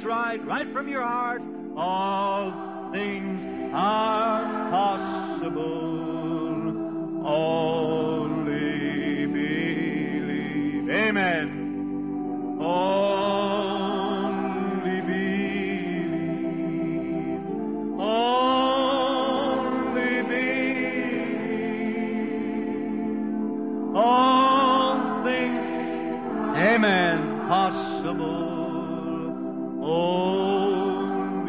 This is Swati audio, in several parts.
right, right from your heart. All things are possible. Only believe. Amen. Only believe. Only believe. All things, amen, possible. Only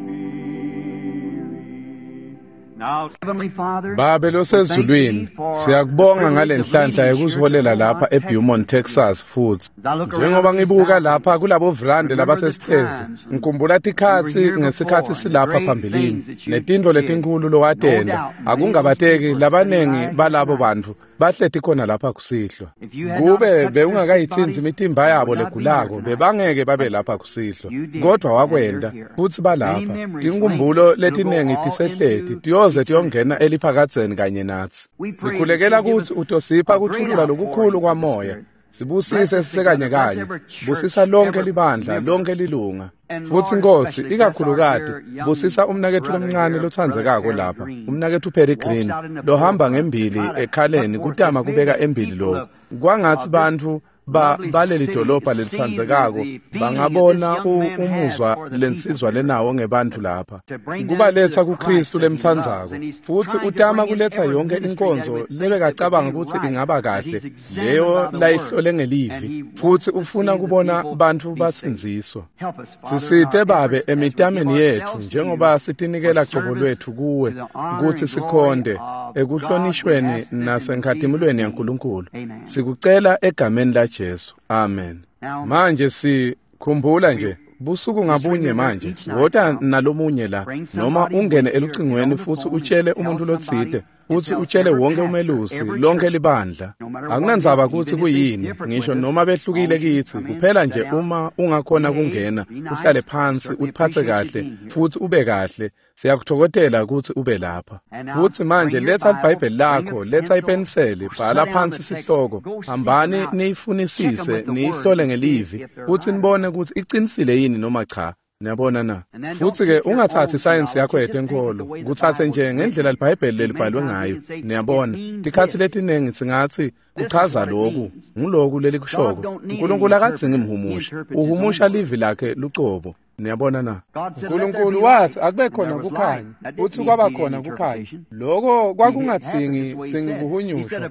believe. Now, Heavenly Father, Babe losezulwini, siyakubonga ngalenhlanhla yokusiholela lapha eBeaumont, Texas futhi. Njengoba ngibuka lapha kulabo vrande labasesitezi, ngikhumbula tikhatsi ngesikhathi silapha phambilini, netintfo letinkhulu lowatenta. Akungabateki labanengi balabo bantfu bahleti khona lapha kusihlwa. Kube bewungakayitsintsi imitimba yabo legulako, bebangeke babe lapha kusihlwa. Kodwa wakwenta, futsi balapha. Tinkhumbulo letinengi tisehleti, tiyoze tiyongena eliphakadzeni kanye natsi. Sikhulekela kutsi utosipha kuthulula lokukhulu kwamoya. Sibusise sisekanye kanye. Busisa lonke libandla, lonke lilunga. Futsi Nkosi, ikakhulukati, busisa umnaketfu lomncane lotsandzekako lapha, umnaketfu Perry Green, lohamba ngembili ekhaleni kutama kubeka embili lokhu. Kwangatsi bantfu baleli dolobha lelitsandzekako bangabona umuzwa lensizwa lenawo ngebantfu lapha, kubaletsa kuKristu lemtsandzako. Futsi utama kuletsa yonke inkonzo lebekacabanga kutsi ingaba kahle, leyo layihlole ngelivi, futsi ufuna kubona bantfu basindziswa. Sisite Babe emitameni yetfu njengoba sitinikela cobo lwetfu kuwe kutsi sikhonde ekuhlonishweni nasenkhatimulweni yaNkulunkulu. Sikucela egameni la Jesu. Amen. Manje sikhumbula nje busuku ngabunye manje, wota nalomunye la, noma ungene elucingweni futsi utshele umuntu lotsite, futsi utshele wonke umelusi, lonke libandla. Akunandzaba kutsi kuyini, ngisho noma behlukile kitsi, kuphela nje uma ungakhona kungena, uhlale phansi, utiphatse kahle, futsi ube kahle. Siyakuthokozela kutsi ube lapha. Futsi manje letsa liBhayibheli lakho, letsa ipeniseli, bhala phansi sihloko. Hambani niyifunisise, niyihlole ngelivi, futsi nibone kutsi icinisile yini noma cha. Niyabona na? Futsi-ke ungathatsi isayensi yakho yetenkholo, kutsatse nje ngendlela liBhayibheli lelibhalwe ngayo. Niyabona, tikhatsi letinengi singatsi kuchaza loku, nguloku lelikushoko. Nkulunkulu akadzingi mhumusha, uhumusha livi lakhe lucobo. Niyabona na? Nkulunkulu watsi akube khona kukhanya, futsi kwaba khona kukhanya. Loko kwakungadzingi kuhunyushwa.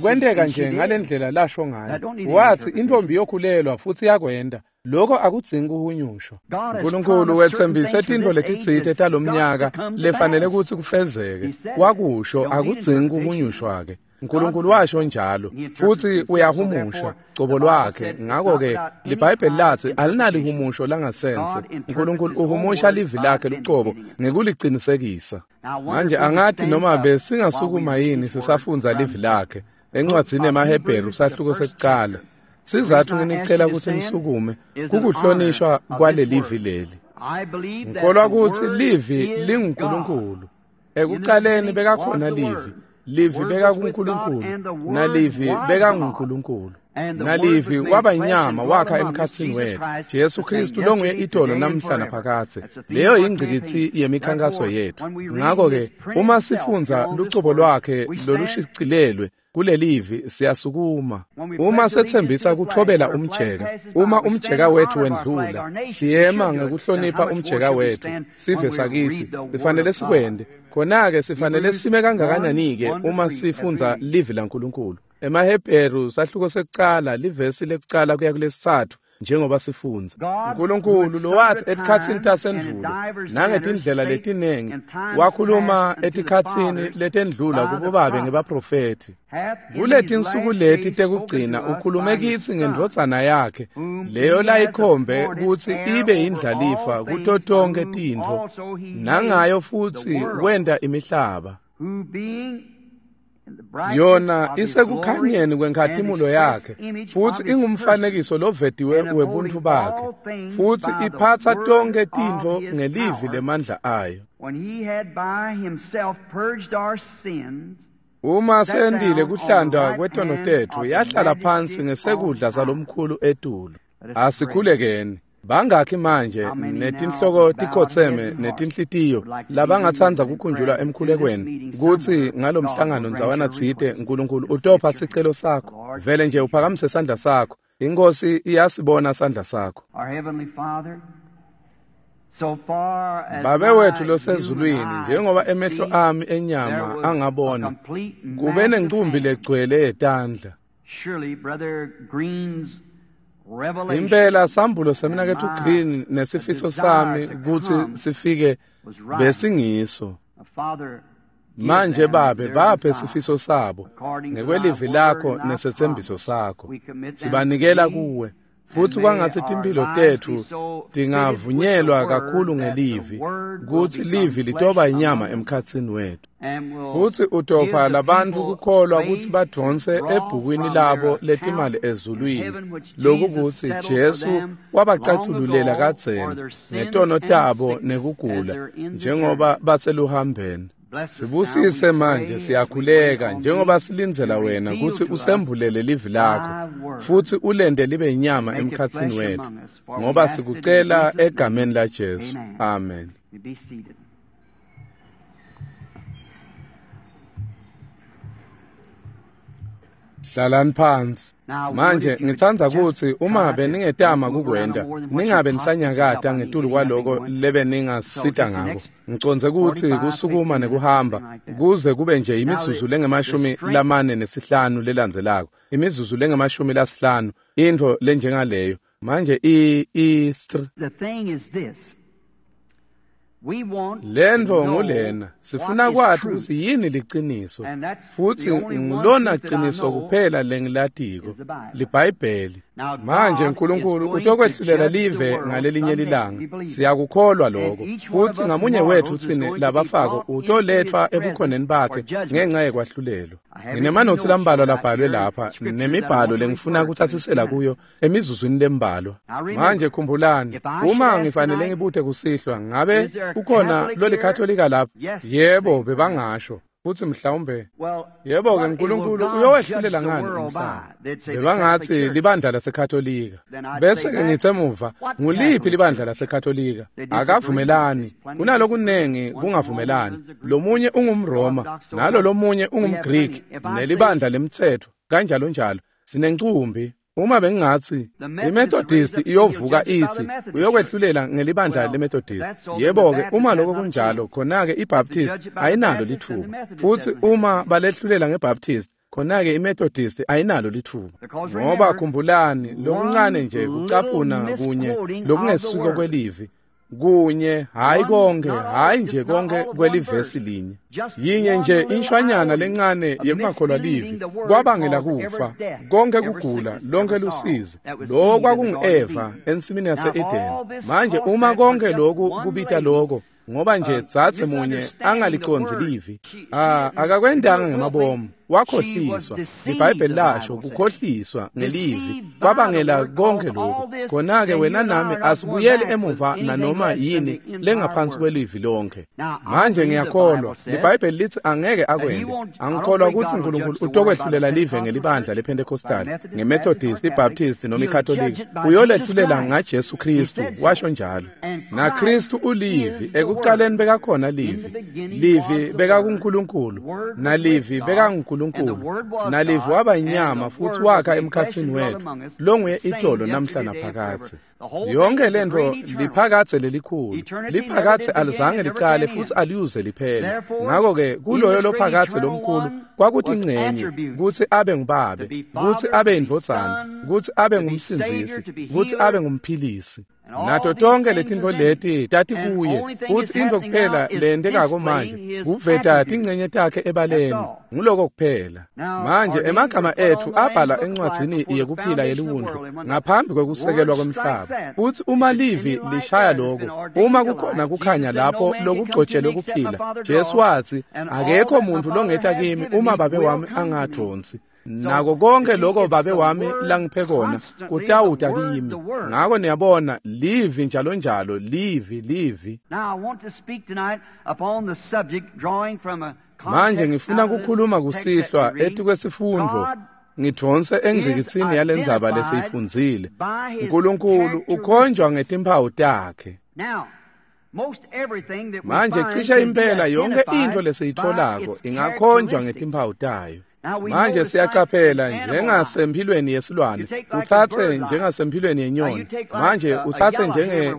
Kwenteka nje ngalendlela lasho ngayo. Watsi intfombi yokhulelwa futsi yakwenta. Loko akudzingi kuhunyushwa. Nkulunkulu wetsembise tintfo letitsite talomnyaka lefanele kutsi kufezeke. Wakusho, akudzingi kuhunyushwa-ke. Nkulunkulu washo njalo, futsi uyahumusha cobo lwakhe. Ngako-ke liBhayibheli latsi alinalihumusho langasense. Nkulunkulu uhumusha livi lakhe lucobo ngekulicinisekisa. Manje angati noma besingasukuma yini sisafundza livi lakhe encwadzini yemaHebheru sahluko sekucala. Sizatfu nginicela kutsi nisukume kukuhlonishwa kwalelivi leli. Ngikholwa kutsi livi linguNkulunkulu. Ekucaleni bekakhona livi. Livi bekakuNkulunkulu, nalivi bekanguNkulunkulu. Nalivi waba inyama wakha emkhatsini wetfu, Jesu Kristu longuye itolo namhla naphakadze. Leyo yingcikitsi yemikhankaso yetfu. Ngako-ke uma sifundza lucobo lwakhe lolushicilelwe kulelivi, siyasukuma. Uma setsembisa kuthobela umjeka, uma umjeka wethu wendlula, siyema ngekuhlonipha umjeka wetfu. Sive sakitsi sifanele sikwente. Khona-ke sifanele sime kangakanani-ke uma sifundza livi laNkulunkulu. EmaHebheru sahluko sekucala, livesi lekucala kuya kulesitsatfu, njengoba sifundza. Nkulunkulu lowatsi etikhatsini tasendvulo nangetindlela letinengi wakhuluma etikhatsini letendlula kubobabe ngebaprofethi. Kuletinsuku leti tekugcina ukhulume kitsi ngendvodzana yakhe, leyo layikhombe kutsi ibe yindlalifa kuto tonkhe tintfo, nangayo futsi wenta imihlaba. Yona isekukhanyeni kwenkhatimulo yakhe, futsi ingumfanekiso lovetiwe webuntfu bakhe, futsi iphatsa tonkhe tintfo ngelivi lemandla ayo. Uma sendile kuhlandwa kwetono tetfu, yahlala phansi ngesekudla salomkhulu etulu. Asikhulekeni. Bangakhi manje netinhloko tikhotseme netinhlitiyo labangatsandza kukhunjulwa emkhulekweni kutsi ngalomhlangano ndzawana tsite Nkulunkulu utopha sicelo sakho? Vele nje uphakamise sandla sakho. Inkosi iyasibona sandla sakho. Babe wethu losezulwini, njengoba emehlo ami enyama angabona, kube nencumbi legcwele yetandla. Impela sambulo semnaketfu Green nesifiso sami kutsi sifike besingiso. Manje Babe, baphe sifiso sabo ngekwelivi lakho nesetsembiso sakho. Sibanikela kuwe. Futsi kwangatsi timphilo tetfu tingavunyelwa kakhulu ngelivi, kutsi livi litoba inyama emkhatsini wetfu. Futsi utopha labantfu kukholwa kutsi badvonse ebhukwini labo letimali ezulwini, lokukutsi Jesu wabacatululela kadzeni ngetono tabo nekugula njengoba baseluhambeni. Sibusise manje, siyakhuleka njengoba silindzela wena kutsi usembulele livi lakho futsi ulente libe inyama emkhatsini wetfu, ngoba sikucela egameni la Jesu. Amen. Hlalani phansi. Manje ngitsandza kutsi uma beningetama kukwenta, ningabe nisanyakata ngetulu kwaloko lebe ningasita ngako. Ngicondze kutsi kusukuma nekuhamba kuze kube nje imizuzu lengu-45 lelandzelako, imizuzu lengu-50, intfo lenjengaleyo. Manje lentfo ngulena, sifuna kwati kutsi yini liciniso, futsi ngulona ciniso kuphela lengilatiko, liBhayibheli. Manje Nkulunkulu utokwehlulela live ngalelinye lilanga, siyakukholwa lokho, futsi ngamunye wetfu tsine labafako utoletfwa ebukhoneni bakhe ngenca yekwahlulelwa. Nginemanotsi lambalwa labhalwe lapha nemibhalo lengifuna kutsatsisela kuyo emizuzwini lembalwa. Manje khumbulani, uma ngifanele ngibute kusihlwa, ngabe kukhona lolikatolika lapha? Yebo, bebangasho. Futsi mhlawumbe yebo-ke, Nkulunkulu uyowehlulela ngani umhlaba? Bebangatsi libandla laseKatolika. Bese-ke ngitse emuva, nguliphi libandla laseKatolika? Akavumelani, kunalokunengi kungavumelani. Lomunye ungumRoma, nalo lomunye ungumGriki, nelibandla lemtsetfo, kanjalo njalo. Sinencumbi. Uma bengingatsi iMethodist iyovuka itsi uyokwehlulela ngelibandla leMethodist, yebo-ke, uma lokho kunjalo, khona-ke iBaptist ayinalo litfuba. Futsi uma balehlulela ngeBaptist, khona-ke iMethodist ayinalo litfuba. Ngoba khumbulani, lokuncane nje kucaphuna kunye lokungesuko kwelivi, kunye, hayi konke, hayi nje konke kwelivesi linye. Yinye nje inshwanyana lencane yekungakholwa livi kwabangela kufa, konke kugula, lonke lusizi. Lokho kwakungu-Eva ensimini yase-Edeni. Manje uma konke lokhu kubita lokho, ngoba nje dzadze munye angalicondzi livi, akakwentanga ngemabomu, wakhohliswa. LiBhayibheli lasho kukhohliswa ngelivi kwabangela konke lokhu. Khona-ke wena nami asibuyele emuva nanoma yini lengaphansi kwelivi lonke. Manje ngiyakholwa liBhayibheli lithi angeke akwente. Angikholwa kutsi Nkulunkulu utokwehlulela live ngelibandla lePentecostal, ngeMethodist, iBaptist noma iKatolika. Uyolehlulela ngaJesu Kristu, washo njalo. NaKristu ulivi, ekucaleni bekakhona livi. Livi bekakuNkulunkulu, nalivi bekanguNkulunkulu. Nalivi waba inyama futhi wakha emkhatsini wethu, longuye itolo namhla naphakadze. Yonke lentfo liphakadze lelikhulu, liphakadze alizange licale futhi aliyuze liphele. Ngakho-ke kuloyo lophakadze lomkhulu kwakuthi ingcenye kutsi abe ngubabe, kutsi abe yindvodzana, kutsi abe ngumsindzisi, kutsi abe ngumphilisi. Nato tonke letintfo leti tatikuye, futsi intfo kuphela lentekako manje kuveta tingcenye takhe ebaleni. Nguloko kuphela. Manje emagama etfu abhala encwadzini yekuphila yeliwundlu ngaphambi kwekusekelwa kwemhlaba. Futsi uma livi lishaya lokho, uma kukhona kukhanya lapho lokugcotshelwe kuphila, Jesu watsi, akekho muntfu longeta kimi uma Babe wami angadvonsi. Nako konke lokho Babe wami langiphe kona kutawuta kimi. Ngako niyabona, livi njalo njalo, livi, livi. Manje ngifuna kukhuluma kusihlwa etikwesifundvo, ngidvonse engcikitsini yalendzaba lesiyifundzile. Nkulunkulu ukhonjwa ngetimphawu takhe. Manje cishe impela yonke intfo lesiyitfolako ingakhonjwa ngetimphawu tayo. Manje siyacaphela njengasemphilweni yesilwane, utsatse njengasemphilweni yenyoni. Manje utsatse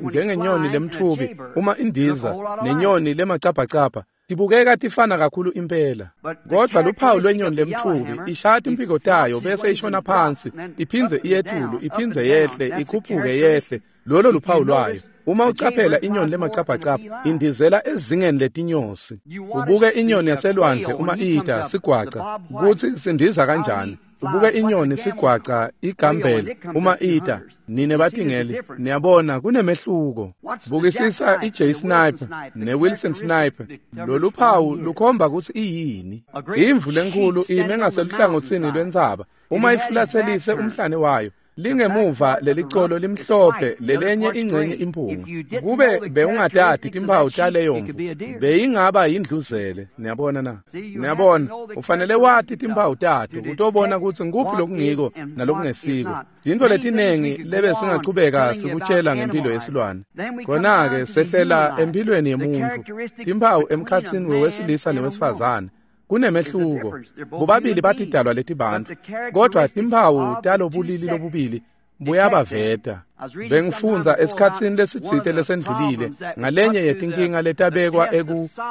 njengenyoni lemtfubi uma indiza nenyoni lemacabhacabha, tibukeka tifana kakhulu impela. Kodvwa luphawu lwenyoni lemtfubi ishaya timphiko tayo bese ishona phansi, iphindze iyetulu, iphindze yehle, ikhuphuke yehle. Lolo luphawu lwayo. Uma ucaphela inyoni lemacabhacabha indizela ezingeni letinyosi. Ubuke inyoni yaselwandle uma ida sigwaca kutsi sindiza kanjani. Ubuke inyoni sigwaca igambele uma ida. Nine batingeli niyabona kunemehluko. Bukisisa iJ Sniper neWilson Sniper. Lolu phawu lukhomba kutsi iyini. Imvu lenkulu ime ngaseluhlangotsini lwentsaba. Uma ifulatselise umhlane wayo, lingemuva lelicolo limhlophe lelenye ingcenye imphunga. Kube bewungatati timphawu taleyo mvu, beyingaba yindluzele. Niyabona na? Niyabona, ufanele wati timphawu tato utobona kutsi nguphi lokungiko nalokungesiko. Tintfo letinengi lebe singachubeka sikutshela ngempilo yesilwane. Khona-ke sehlela emphilweni yemuntfu, timphawu emkhatsini wewesilisa newesifazane. Kunemehluko. Bobabili batidalwa letibantfu, kodvwa timphawu talobulili lobubili buyabaveta. Bengifundza esikhatsini lesitsite lesendlulile ngalenye yetinkinga letabekwa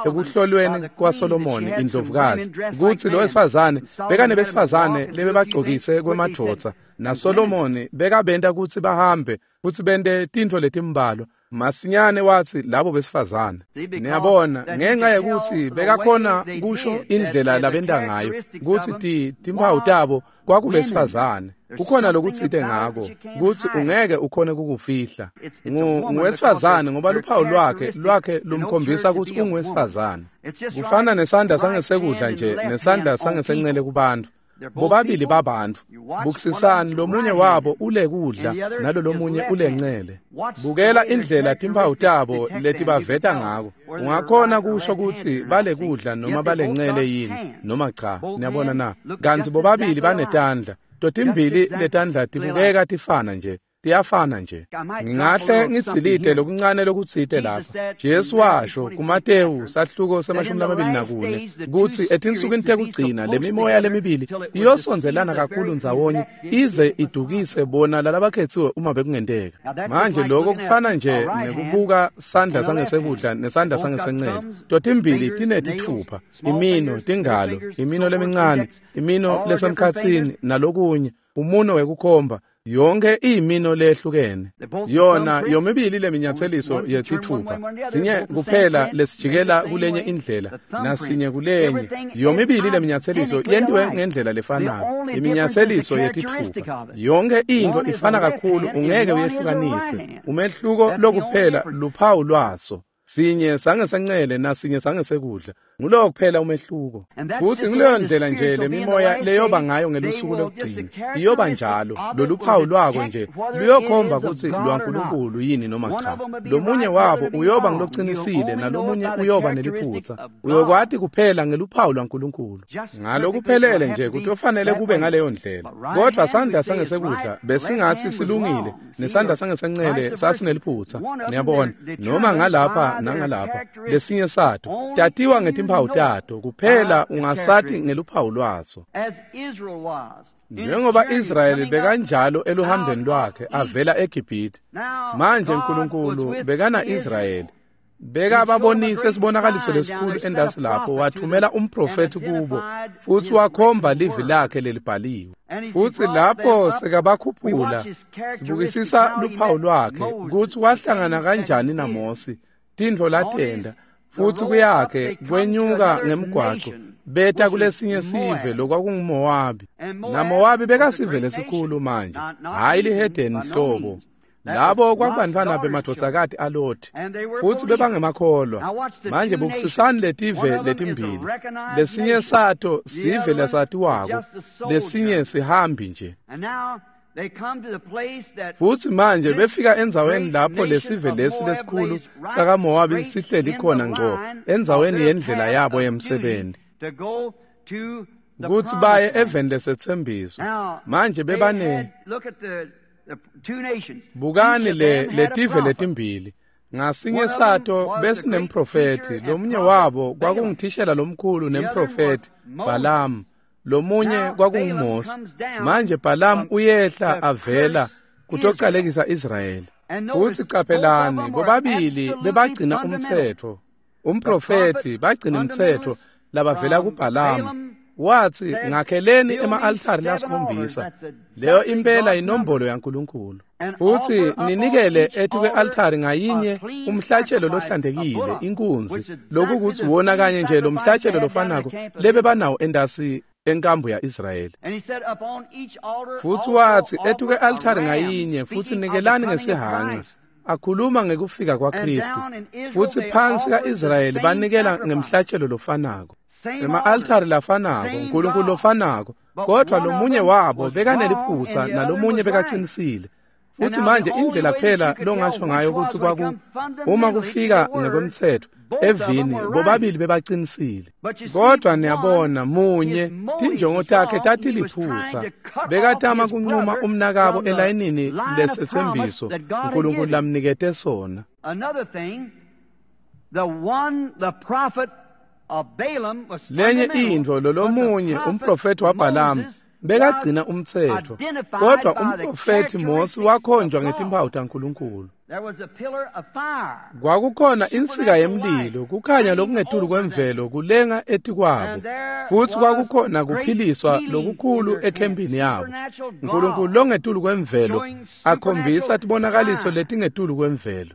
ekuhlolweni kwaSolomoni indlovukazi, kutsi lowesifazane bekanebesifazane lebebagcokise kwemadvodza, naSolomoni bekabenta kutsi bahambe futsi bente tintfo letimbalwa. Masinyane watsi labo besifazane. Niyabona, ngenxa yekutsi bekakhona kusho indlela labenta ngayo kutsi timphawu tabo kwakubesifazane. Kukhona lokutsite ngako kutsi ungeke ukhone kukufihla. Nguwesifazane ngoba luphawu lwakhe lumkhombisa kutsi unguwesifazane. Kufana nesandla sangesekudla nje nesandla sangesencele kubantfu. Bobabili babantfu. Bukisisani lomunye wabo ule kudla nalo lomunye ulencele. Bukela indlela timphawu tabo letibaveta ngako. Ungakhona kusho kutsi bale kudla noma balencele yini noma cha. Niyabona na? Kantsi bobabili banetandla. Totimbili letandla tibukeka tifana nje. Tiyafana nje. Ngingahle ngitsilite lokuncane lokutsite lapha. Jesu washo kuMatewu sahluko se-24 kutsi etinsukwini tekugcina lemimoya lemibili iyosondzelana kakhulu ndzawonye ize idukise bona lalabakhetsiwe uma bekungenteka. Manje lokho kufana nje nekubuka sandla sangesekudla nesandla sangesencele. Totimbili tinetitfupha, imino, tingalo, imino lemincane, imino lesemkhatsini nalokunye, umuno wekukhomba. Yonke iyimino lehlukene. Yona yomibili leminyatseliso yetithupha, sinye kuphela lesijikela kulenye indlela nasinye kulenye. Yomibili leminyatseliso yentiwe ngendlela lefanako, iminyatseliso yetithupha. Yonke into ifana kakhulu, ungeke uyehlukanise. Umehluko lokuphela luphawu lwaso. Sinye sangesencele nasinye sangesekudla. Ngulowo kuphela umehluko. Futsi nguleyo ndlela nje lemimoya leyoba ngayo ngelusuku lokugcina. Iyoba njalo. Loluphawu lwako nje luyokhomba kutsi lwaNkulunkulu yini noma cha. Lomunye wabo uyoba ngulocinisile nalomunye uyoba neliphutsa. Uyokwati kuphela ngeluphawu lwaNkulunkulu. Ngalokuphelele nje kutofanele kube ngaleyo ndlela. Kodvwa sandla sangesekudla besingatsi silungile nesandla sangesencele sasineliphutsa. Niyabona, noma ngalapha nangalapha lesinye sato tatiwa ngetimphawu tato kuphela, ungasati ngeluphawu lwaso. Njengoba Israyeli bekanjalo eluhambeni lwakhe avela eGibhithe, manje Nkulunkulu bekana Israyeli bekababonise sibonakaliso lesikhulu endasi lapho, wathumela umprofethi kubo futsi wakhomba livi lakhe lelibhaliwe. Futsi lapho sekabakhuphula, sibukisisa luphawu lwakhe kutsi wahlangana kanjani naMosi, tintfo latenda, futsi kuyakhe kwenyuka ngemgwaco beta kulesinye sive lokwakunguMowabi. NaMowabi bekasive lesikhulu manje, hhayi lihedeni hlobo. Labo kwakubantfwana bemadvodzakati aLothi, futsi bebangemakholwa. Manje bukisisani letive letimbili. Lesinye sato sive lesatiwako, lesinye sihambi nje. Futsi manje befika endzaweni lapho lesive lesi lesikhulu sakaMowabi sihleli khona ngco, endzaweni yendlela yabo yemsebenti. Kutsi baye eveni lesetsembiso. Manje bebane bukani letive letimbili. Ngasinye sato besinemprofethi, lomunye wabo kwakunguthishela lomkhulu nemprofethi Balaam, lomunye kwakunguMose. Manje Balaam uyehla avela kutocalekisa Israyeli. Futsi caphelani, bobabili bebagcina umtsetfo. Umprofethi bagcina umtsetfo labavela kuBalaam. Watsi ngakheleni ema-altari lasikhombisa. Leyo impela inombolo yaNkulunkulu. Futsi ninikele etikwe-altari ngayinye umhlatshelo lohlantekile, inkunzi, lokukutsi wona kanye nje lo mhlatshelo lofanako lebebanawo endasi enkambu ya-Israyeli. Futsi watsi etikwe-altari ngayinye futsi nikelani ngesihanca, akhuluma ngekufika kwaKhristu. Futsi phansi ka-Israyeli banikela ngemhlatshelo lofanako. Ema-altari lafanako, uNkulunkulu lofanako, kodwa lomunye wabo bekaneliphutsa nalomunye bekaqinisile. Futsi manje indlela kuphela longasho ngayo kutsi kwaku uma kufika ngekwemtsetfo evini bobabili bebaqinisile. Kodwa niyabona munye tinjongo takhe tatiliphutsa, bekatama kuncuma umnakabo elayinini lesetsembiso uNkulunkulu lamnikete sona. Lenye intfo lolomunye umprofethi waBalaam bekagcina umtsetfo, kodwa umprofethi Mose wakhonjwa ngetimpawu taNkulunkulu. Kwakukhona insika yemlilo, kukhanya lokungetulu kwemvelo kulenga etikwabo, futsi kwakukhona kuphiliswa lokukhulu ekhempini yabo. Nkulunkulu longetulu kwemvelo akhombisa tibonakaliso letingetulu kwemvelo.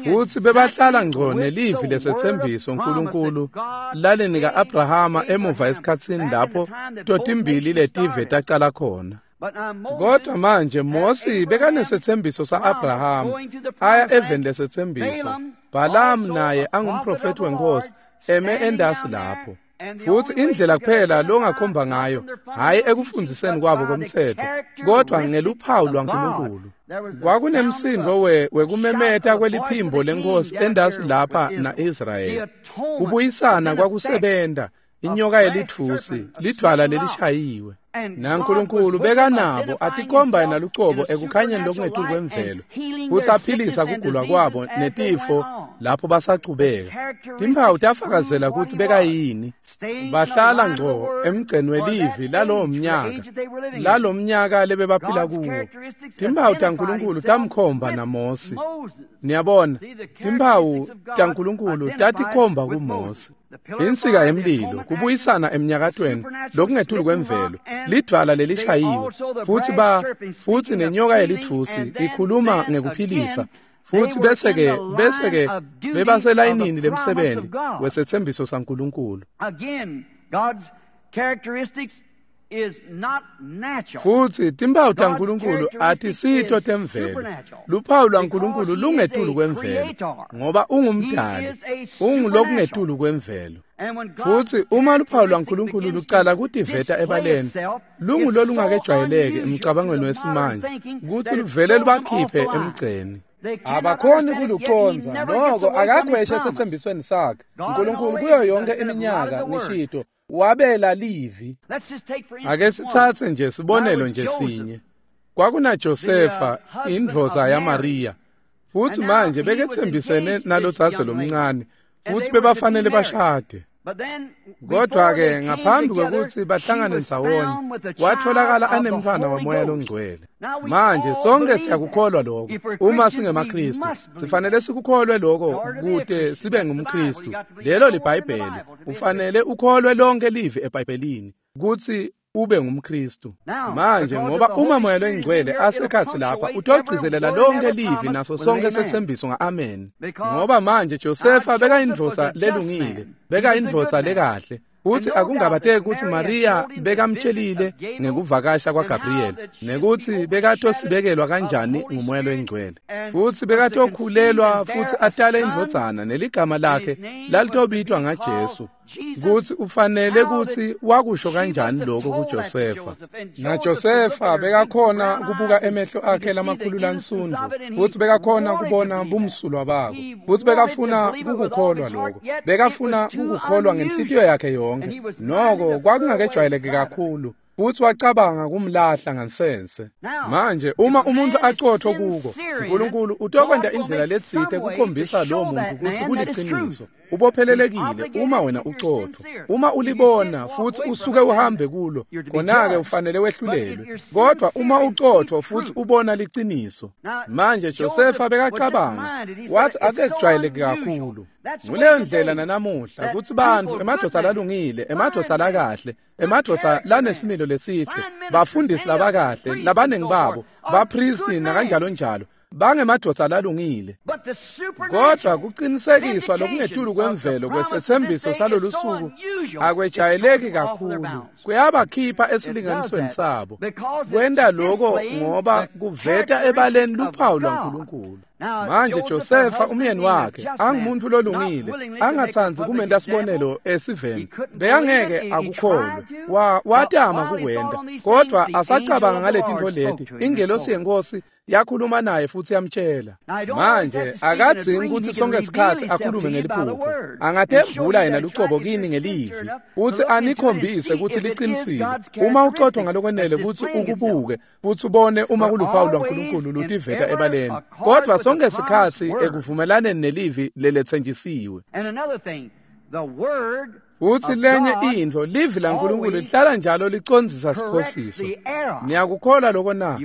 Futsi bebahlala ngco nelivi lesetsembiso uNkulunkulu lalinika Abrahama emuva esikhatsini lapho totimbili letive tacala khona. Kodwa manje Mose bekanesetsembiso sa-Abrahama aya eveni lesetsembiso. Balaam naye angumprofethi wenkosi eme endasi lapho. Futsi indlela kuphela longakhomba ngayo, hhayi ekufundziseni kwabo komtsetfo, kodwa ngeluphawu lwaNkulunkulu. Kwakunemsindo wekumemeta kweliphimbo lenkosi endasi lapha na-Israyeli. Kubuyisana kwakusebenta, inyoka yelitfusi, lidvwala lelishayiwe. NaNkulunkulu bekanabo atikhomba yena lucobo ekukhanyeni lokungetulu kwemvelo, futsi aphilisa kugula kwabo netifo lapho basachubeka. Timphawu tafakazela kutsi bekayini. Bahlala ngco emgceni welivi lalowo mnyaka, lalo mnyaka lebebaphila kuwo. Timphawu taNkulunkulu tamkhomba naMose. Niyabona, timphawu taNkulunkulu tatikhomba kuMose. Insika yemlilo, kubuyisana emnyakatweni lokungetulu kwemvelo, lidvwala lelishayiwe, futsi futsi nenyoka yelitfusi ikhuluma ngekuphilisa. Futsi bese-ke bebaselayinini lemsebenzi wesetsembiso saNkulunkulu. Futsi timphawu taNkulunkulu atisito temvelo. Luphawu lwaNkulunkulu lungetulu kwemvelo, ngoba ungumdali, ungulokungetulu kwemvelo. Futsi uma luphawu lwaNkulunkulu lucala kutiveta ebaleni, lungulolungakejwayeleki emcabangweni wesimanje kutsi luvele lubakhiphe emgceni. Abakhoni kulucondza, noko akakhweshe esetsembisweni sakhe. uNkulunkulu kuyo yonke iminyaka ngishito wabela livi. Ake sitsatse nje sibonelo nje sinye. KwakunaJosefa indvodza yaMariya, futsi manje beketsembisene nalodzadze lomncane, futsi bebafanele bashade. Kodwa-ke ngaphambi kwekutsi bahlangane ndzawonye, watholakala anemntfwana waMoya loNgcwele. Manje sonke siyakukholwa lokho. Uma singemaKhristu, sifanele sikukholwe lokho kute sibe ngumKhristu. Lelo liBhayibheli. Ufanele ukholwe lonke livi eBhayibhelini kutsi ube ngumKhristu. Manje ngoba uma Moya loNgcwele asekhatsi lapha, utogcizelela lonke livi naso sonke setsembiso nga-amen. Ngoba manje Josefa bekayindvodza lelungile, bekayindvodza lekahle. Futsi akungabateki kutsi Mariya bekamtshelile ngekuvakasha kwaGabriel, nekutsi bekatosibekelwa kanjani nguMoya loNgcwele. Futsi bekatokhulelwa futsi atale indvodzana, neligama lakhe lalitobitwa ngaJesu. Kutsi ufanele kutsi wakusho kanjani lokho kuJosefa. NaJosefa bekakhona kubuka emehlo akhe lamakhulu lansundvu, futsi bekakhona kubona bumsulwa bako, futsi bekafuna kukukholwa lokho. Bekafuna kukukholwa ngenhlitiyo yakhe yonke. Noko kwakungakejwayeleki kakhulu. Futsi wacabanga kumlahla ngansense. Manje uma umuntu aqotho kuko, uNkulunkulu utokwenta indlela letsite kukhombisa lowo muntu kutsi kuliciniso. Ubophelelekile uma wena uqotho. Uma ulibona futhi usuke uhambe kulo, khona-ke ufanele wehlulelwe. Kodwa uma uqotho futhi ubona liciniso. Manje Josefa bekacabanga, wathi akejwayeleki kakhulu. Nguleyo ndlela nanamuhla kutsi bantfu emadvodza lalungile, emadvodza lakahle, emadvodza lanesimilo lesihle, bafundisi labakahle, labaningi babo, bapristi nakanjalo njalo, bangemadvodza lalungile. Kodwa kuqinisekiswa lokungetulu kwemvelo kwesethembiso salolu suku akwejayeleki kakhulu, kuyabakhipha esilinganisweni sabo. Kwenta lokho ngoba kuveta ebaleni luphawu lwaNkulunkulu. Manje Josefa umyeni wakhe angumuntu lolungile, angatsandzi kumenta sibonelo esiveni, bekangeke akukholwe. Watama kukwenta, kodwa asacabanga ngaletintfo leti, ingelosi yenkosi yakhuluma naye futhi yamtshela. Manje akadzingi kutsi sonke sikhatsi akhulume ngeliphupho. Angatembula yena lucobo kini ngelivi, utsi anikhombise kutsi liqinisile. Uma uqotho ngalokwenele kutsi ukubuke futhi ubone uma kuluphawu lwaNkulunkulu lutiveta ebaleni. Kodwa sonke sikhatsi ekuvumelaneni nelivi leletsenjisiwe. Utsi lenye intfo, livi laNkulunkulu lihlala njalo licondzisa siphosiso. Niyakukholwa lokho na?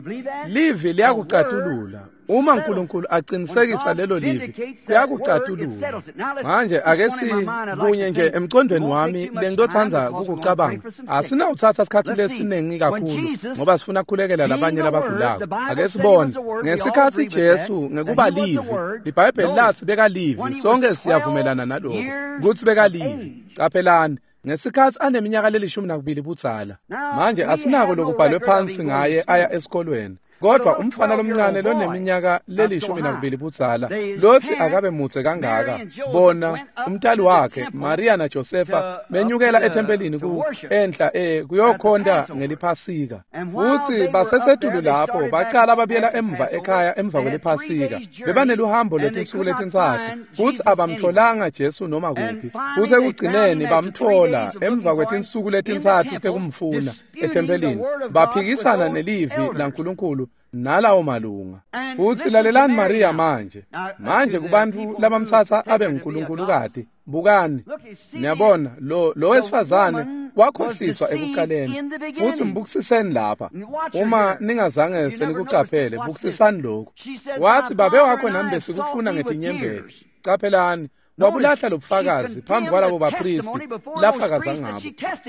Livi liyakucatulula. Uma uNkulunkulu aqinisekisa lelo livi, kuyakucatulula. Manje ake sikunye nje emqondweni wami lengitotsandza kukucabanga. Asinawuthatha isikhatsi lesiningi kakhulu ngoba sifuna kukhulekela labanye labagulako. Ake sibone ngesikhatsi Jesu ngekuba livi, iBhayibheli lathi bekalivi, sonke siyavumelana naloko kutsi bekalivi. Qaphelani ngesikhatsi aneminyaka le-12 budzala. Manje asinako lokubhalwe phansi ngaye aya esikolweni. Kodwa umfana lomncane loneminyaka le-12 budzala lothi akabe mutse kangaka, bona umntali wakhe Maria naJosefa benyukela ethempelini ku enhla kuyokhonta ngeliphasika. Futsi basesetulu lapho bacala babuyela emva ekhaya emva kweliphasika. Bebaneluhambo lwetinsuku letintsatfu futsi abamtholanga Jesu noma kuphi. Futsi ekugcineni bamthola emva kwetinsuku letintsatfu tekumfuna ethempelini. Baphikisana nelivi laNkulunkulu nalawo malunga. Futsi lalelani Maria manje. Manje kubantfu labamtsatsa abe nguNkulunkulu-kati, bukani. Niyabona lo wesifazane wakhohliswa ekucaleni. Futsi mbukisiseni lapha. Uma ningazange senikucaphele, bukisisani lokhu. Wathi babe wakho nami besikufuna ngetinyembeti. Caphelani, wabulahla lobufakazi phambi kwalabo bapristi lafakaza ngabo.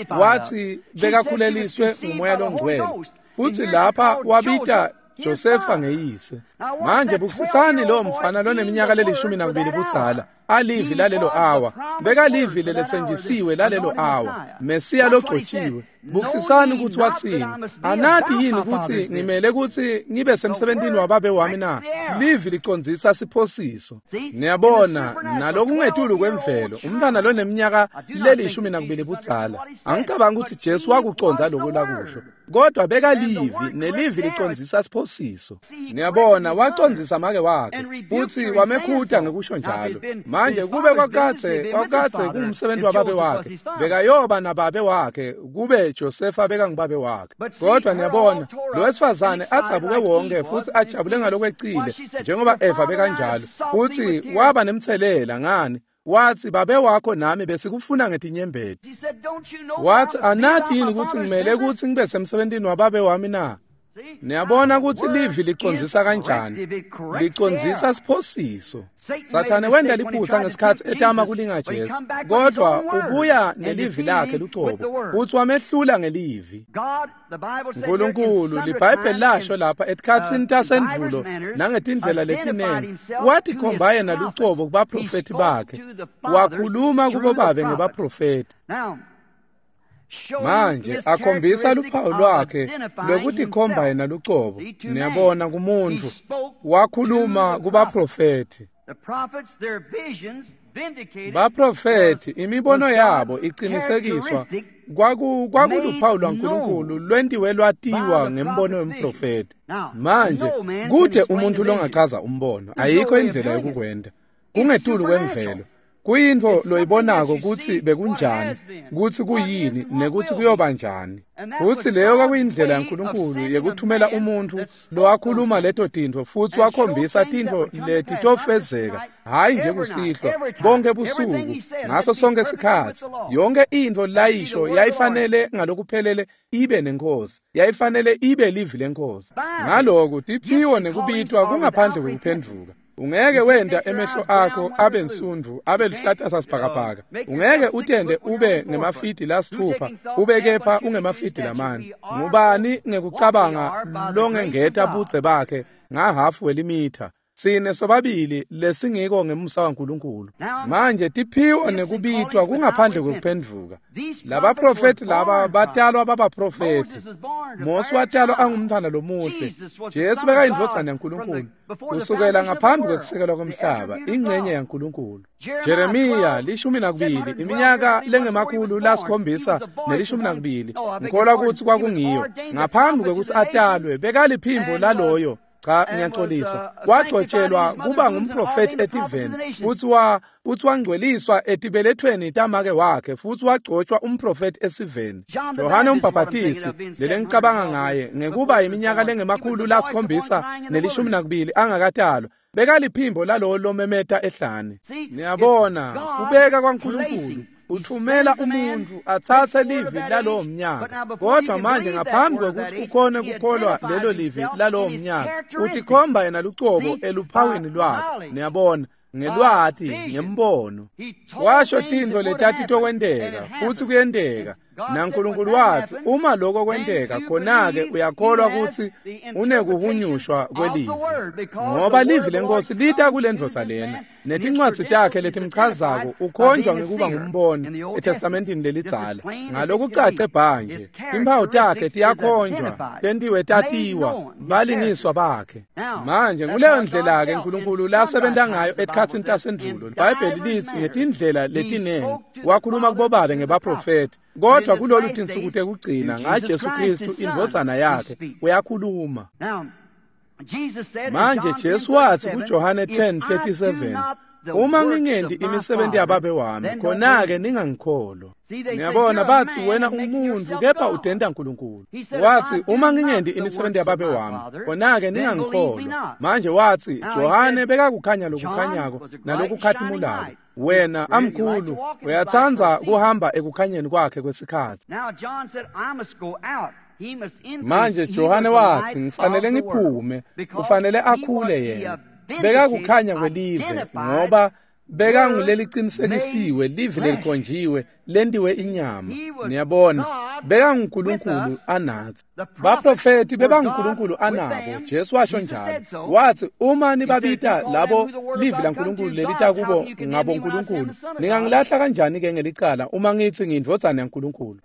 Wathi bekakhuleliswe ngumoya longcwele. Futsi lapha wabita Josefa ngeyise. Manje bukisisani lo mfana loneminyaka le-12 budzala, alivi lalelo awa, bekalivi leletsenjisiwe lalelo awa, Mesiya logcotshiwe. Bukisisani kutsi watsini. Anati yini kutsi ngimele kutsi ngibe semsebentini wababe wami na? Livi licondzisa siphosiso. Niyabona, nalokungetulu kwemvelo, umntwana loneminyaka le-12 budzala. Angicabangi kutsi Jesu wakucondza lokho lakusho. Kodwa bekalivi, nelivi licondzisa siphosiso. Niyabona, wacondzisa make wakhe futsi wamekhuta ngekusho njalo. Manje kube kwakadze kungumsebenzi wababe wakhe, bekayoba nababe wakhe kube Josefa bekangubabe wakhe. Kodwa niyabona, lo wesifazane adzabuke wonke futsi ajabule ngalokwecile njengoba Eva bekanjalo. Futsi waba nemtselela ngani? Wathi babe wakho nami besikufuna ngetinyembeti. Wathi anati yini kutsi ngimele kutsi ngibe semsebentini wababe wami na? Niyabona kutsi livi licondzisa kanjani? Licondzisa siphosiso. Sathane wenta liphutsa ngesikhatsi etama kulinga Jesu, kodwa ubuya nelivi lakhe lucobo futsi wamehlula ngelivi. Nkulunkulu, liBhayibheli lasho lapha etikhatsini tasendvulo nangetindlela letinengi, watikhomba yena lucobo kubaprofethi bakhe, wakhuluma kubobabe ngebaprofethi. Manje akhombisa luphawu lwakhe lokutikhomba yena lucobo. Niyabona kumuntu wakhuluma kubaprofethi. Baprofethi imibono yabo iqinisekiswa kwakuluphawu lwaNkulunkulu lwentiwe lwatiwa ngembono wemprofethi. Manje kude umuntu longachaza umbono, ayikho indlela yokukwenda, kungetulu kwemvelo. Kuyintfo loyibonako kutsi bekunjani, kutsi kuyini, nekuthi kuyoba njani. Futsi leyo kwakuyindlela yaNkulunkulu yekuthumela umuntfu lowakhuluma leto tintfo futsi wakhombisa tintfo leti tofezeka, hhayi nje kusihlwa, bonke busuku, ngaso sonke sikhatsi. Yonke intfo layisho yayifanele ngalokuphelele ibe nenkosi, yayifanele ibe livi lenkosi. Ngaloku tiphiwo nekubitwa kungaphandle kwekuphendvuka. Ungeke wenda emehlo akho abe nsundvu, abe luhlata sasibhakabhaka. Ungeke utende ube ngemafidi lasithupha, ube kepha ungemafidi lamane. Ngubani ngekucabanga longengeta budze bakhe ngahafu welimitha? Sine sobabili lesingiko ngemusa waNkulunkulu. Manje tiphiwo nekubitwa kungaphandle kwekuphendvuka. Labaprofethi laba batalwa babaprofethi. Mose watalwa angumntfwana lomuhle. Jesu bekayindvodzana yaNkulunkulu kusukela ngaphambi kwekusekelwa kwemhlaba, ingcenye yaNkulunkulu. Jeremiya 12, iminyaka lengama-712, ngikholwa kutsi kwakungiyo. Ngaphambi kwekutsi atalwe bekaliphimbo laloyo. Cha, ngiyaxolisa. Wagcotshelwa kuba ngumprofethi etiveni, futsi wangcweliswa etibelethweni tamake wakhe, futsi wagcotshwa umprofethi esiveni. Yohane umbhaphatisi, lelengicabanga ngaye, ngekuba iminyaka lengama-712 angakatalwa, bekaliphimbo lalowo lomemeta ehlane. Niyabona, kubeka kwaNkulunkulu uthumela umuntu atsatse livi lalowo mnyaka. Kodwa manje ngaphambi kwekuthi ukhone kukholwa lelo livi lalowo mnyaka, utikhomba yena lucobo eluphawini lwakhe. Niyabona, ngelwati, ngembono. Washo tintfo letati tokwenteka, futsi kuyenteka. NaNkulunkulu watsi uma lokho kwenteka, khona-ke uyakholwa kutsi unekuhunyushwa kwelivi, ngoba livi lenkosi lita kulendvodza lena netincwadzi takhe letimchazako. Ukhonjwa ngekuba ngumboni eTestamentini lelidzala ngalokucace bhanje. Timphawu takhe tiyakhonjwa, tentiwe tatiwa balingiswa bakhe. Manje nguleyo ndlela-ke Nkulunkulu lasebenta ngayo etikhatsini tasendvulo. IBhayibheli litsi ngetindlela letinengi wakhuluma kubobabe ngebaprofethi, kodwa kulolu tinsuku tekugcina ngaJesu Kristu indvodzana yakhe uyakhuluma. Manje Jesu watsi kuJohane 10:37, uma ngingendi imisebenzi yababe wami, khona-ke ningangikholwa. Niyabona, bathi wena umuntu kepha udenta Nkulunkulu. Wathi uma ngingendi imisebenzi yababe wami, khona-ke ningangikholwa. Manje wathi Johane bekakukhanya lokukhanyako nalokukhatimulako. Wena amkhulu uyatsandza kuhamba ekukhanyeni kwakhe kwesikhatsi. Manje Johane wathi ngifanele ngiphume, kufanele akhule yena. Bekakukhanya kwelive ngoba bekanguleliqinisekisiwe live lelikhonjiwe lentiwe inyama. Niyabona, bekanguNkulunkulu anathi. Baprofethi bebanguNkulunkulu anabo. Jesu washo njalo, wathi uma nibabita labo livi laNkulunkulu lelita kubo ngabo Nkulunkulu, ningangilahla kanjani ke ngelicala uma ngithi ngiyindvodzana yaNkulunkulu?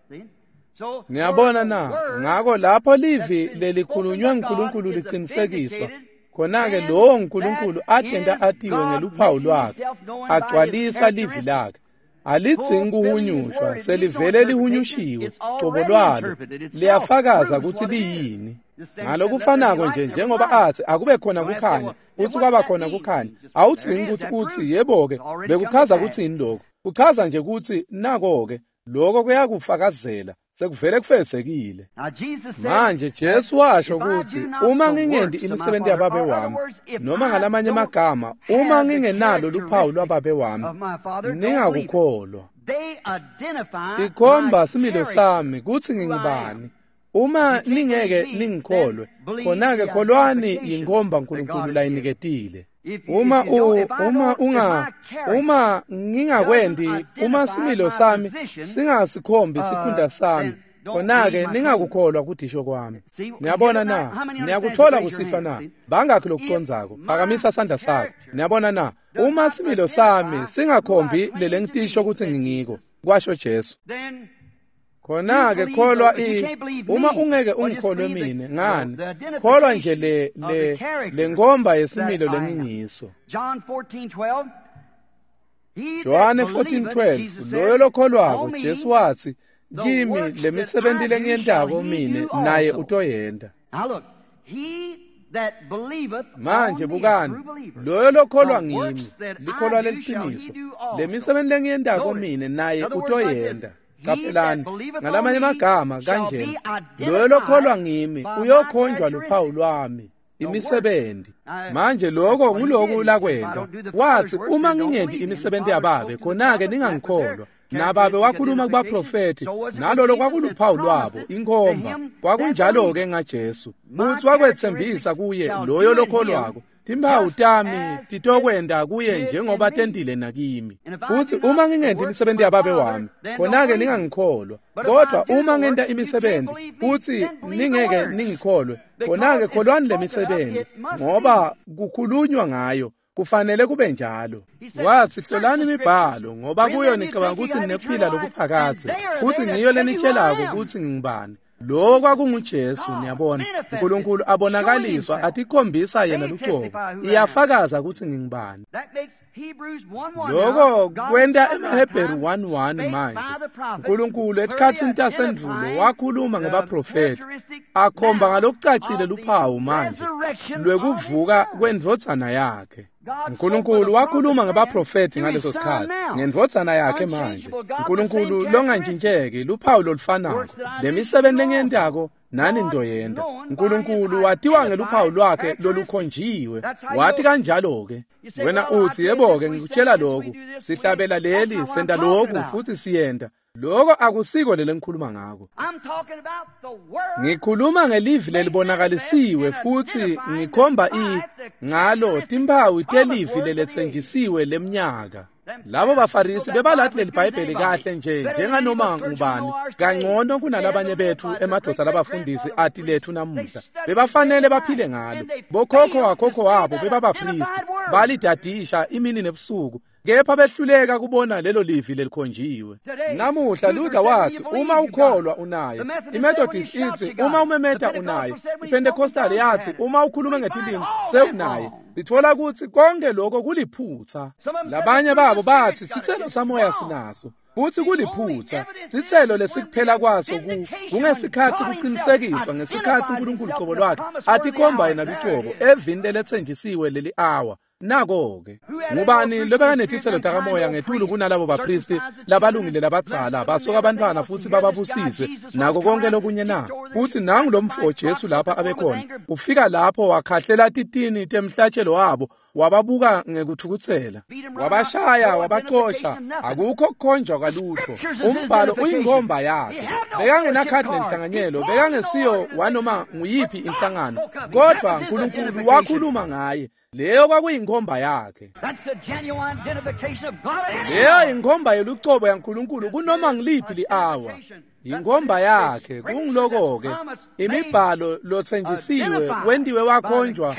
Niyabona na? Ngako lapho livi lelikhulunywa nguNkulunkulu liqinisekiswa, khona-ke lowo nkulunkulu atenta atiwe ngeluphawu lwakhe, agcwalisa livi lakhe. Alidzingi kuhunyushwa, selivele lihunyushiwe cobo lwalo, liyafakaza kutsi liyini. Ngalokufanako nje njengoba athi akube khona kukhanya, futsi kwaba khona kukhanya, awudzingi kutsi utsi yebo-ke bekuchaza kutsini lokho. Kuchaza nje kutsi nako-ke lokho kuyakufakazela, sekuvele kufezekile. Manje Jesu washo kutsi uma ngingendi imisebenzi yababe wami, noma ngalamanye amagama, uma ngingenalo luphawu lwababe wami, ningakukholwa. Ikhomba similo sami kutsi ngingubani. Uma ningeke ningikholwe, khona-ke kholwani yinkhomba Nkulunkulu layiniketile. Uma ngingakwendi, uma similo sami singasikhombi sikhundla sami, khona-ke ningakukholwa kudisho kwami. Niyabona na? Niyakuthola kusihlwa na? Bangakhi lokucondzako? Phakamisa sandla sakho. Niyabona na? Uma similo sami singakhombi lelengitisho kutsi ngingiko, kwasho Jesu, khona-ke kholwa uma ungeke ungikholwe mine, ngani, kholwa nje le nkomba yesimilo lengingiso. Johane 14:12 loyo lokholwako Jesu watsi kimi lemisebenti lengiyentako mine naye utoyenta. Manje bukani, loyo lokholwa ngimi, likholwa leliciniso, lemisebenti lengiyentako mine naye utoyenta. Caphelani, ngalamanye amagama kanjena, loyo lokholwa ngimi uyokhonjwa luphawu lwami, imisebenti. Manje lokho nguloku lakwenta. Wathi uma ngingenti imisebenti yababe, khona-ke ningangikholwa. Nababe wakhuluma kubaprofethi, nalolo kwakuluphawu lwabo, inkhomba. Kwakunjalo-ke ngaJesu. Uthi wakwetsembisa kuye loyo lokholwako, timphawu tami titokwenta kuye njengoba tentile nakimi. Uthi uma ngingenti imisebenzi yababe wami, khona-ke ningangikholwa. Kodwa uma ngenta imisebenzi, uthi ningeke ningikholwe, khona-ke kholwani le misebenzi, ngoba kukhulunywa ngayo. Kufanele kube njalo. Wathi hlolani imibhalo ngoba kuyo nicabanga ukuthi ninekuphila lokuphakadze, kuthi ngiyo lenitshelako ukuthi ngingubani. Lo kwakunguJesu, niyabona. uNkulunkulu abonakaliswa atikhombisa yena lucobo. Iyafakaza ukuthi ngingubani. Lokho kwenta emaHebheru 1:1 manje. uNkulunkulu etikhatsini tasendvulo wakhuluma ngebaprofethi, akhomba ngalokucacile luphawu manje lwekuvuka kwendvodzana yakhe. uNkulunkulu wakhuluma ngebaprofethi ngaleso sikhathi ngendvodzana yakhe manje. uNkulunkulu longantshintsheki, luphawu lolufanako. Lemisebenzi lengiyentako nani ntoyenta. uNkulunkulu watiwa ngeluphawu lwakhe lolukhonjiwe. Wathi kanjalo-ke. Wena uthi yebo-ke ngikutshela lokhu, sihlabela leli, senta lokhu futhi siyenta. Lokho akusiko lele ngikhuluma ngako. Ngikhuluma ngelivi lelibonakalisiwe futhi ngikhomba ngalo timphawu telivi leletsenjisiwe lemnyaka. Labo baFarisi bebalathi leli Bhayibheli kahle nje njenganoma ngubani, kangcono kunalabanye bethu emadvodza labafundisi ati lethu namuhla. Bebafanele baphile ngalo. Bokhokho wakhokho wabo bebabapristi, balidadisha imini nebusuku, kepha behluleka kubona lelo livi lelikhonjiwe. Namuhla Luther wathi uma ukholwa unaye, iMethodist ithi uma umemeta unaye, iPentecostal yathi uma ukhuluma ngetilimi sewunaye. Sithola ukuthi konke lokho kuliphutha. Labanye babo bathi sithelo samoya sinaso, futhi kuliphutha. Sithelo lesikuphela kwaso kungesikhathi kuqinisekiswa, ngesikhathi uNkulunkulu qobo lwakhe atikhomba yena lucobo evini lelethenjisiwe leli hour. Nako-ke ngubani lobekanetitselo takamoya ngetulu kunalabo bapristi labalungile labadzala basoka abantwana futhi bababusise nako konke lokunye na? Futhi nangu lo mfo Jesu lapha abekhona, ufika lapho wakhahlela titini temhlatshelo wabo, wababuka ngekuthukuthela, wabashaya, wabacosha. Akukho kukhonjwa kwalutho. Umbhalo uyinkomba yakhe. Bekangenakhadi lenhlanganyelo, bekangesiyo wanoma nguyiphi inhlangano, kodwa uNkulunkulu wakhuluma ngaye. Leyo kwakuyinkomba yakhe. Leyo inkomba yelucobo yaNkulunkulu kunoma ngiliphi li-awa. Inkomba yakhe kungiloko-ke imibhalo lothenjisiwe wentiwe wakhonjwa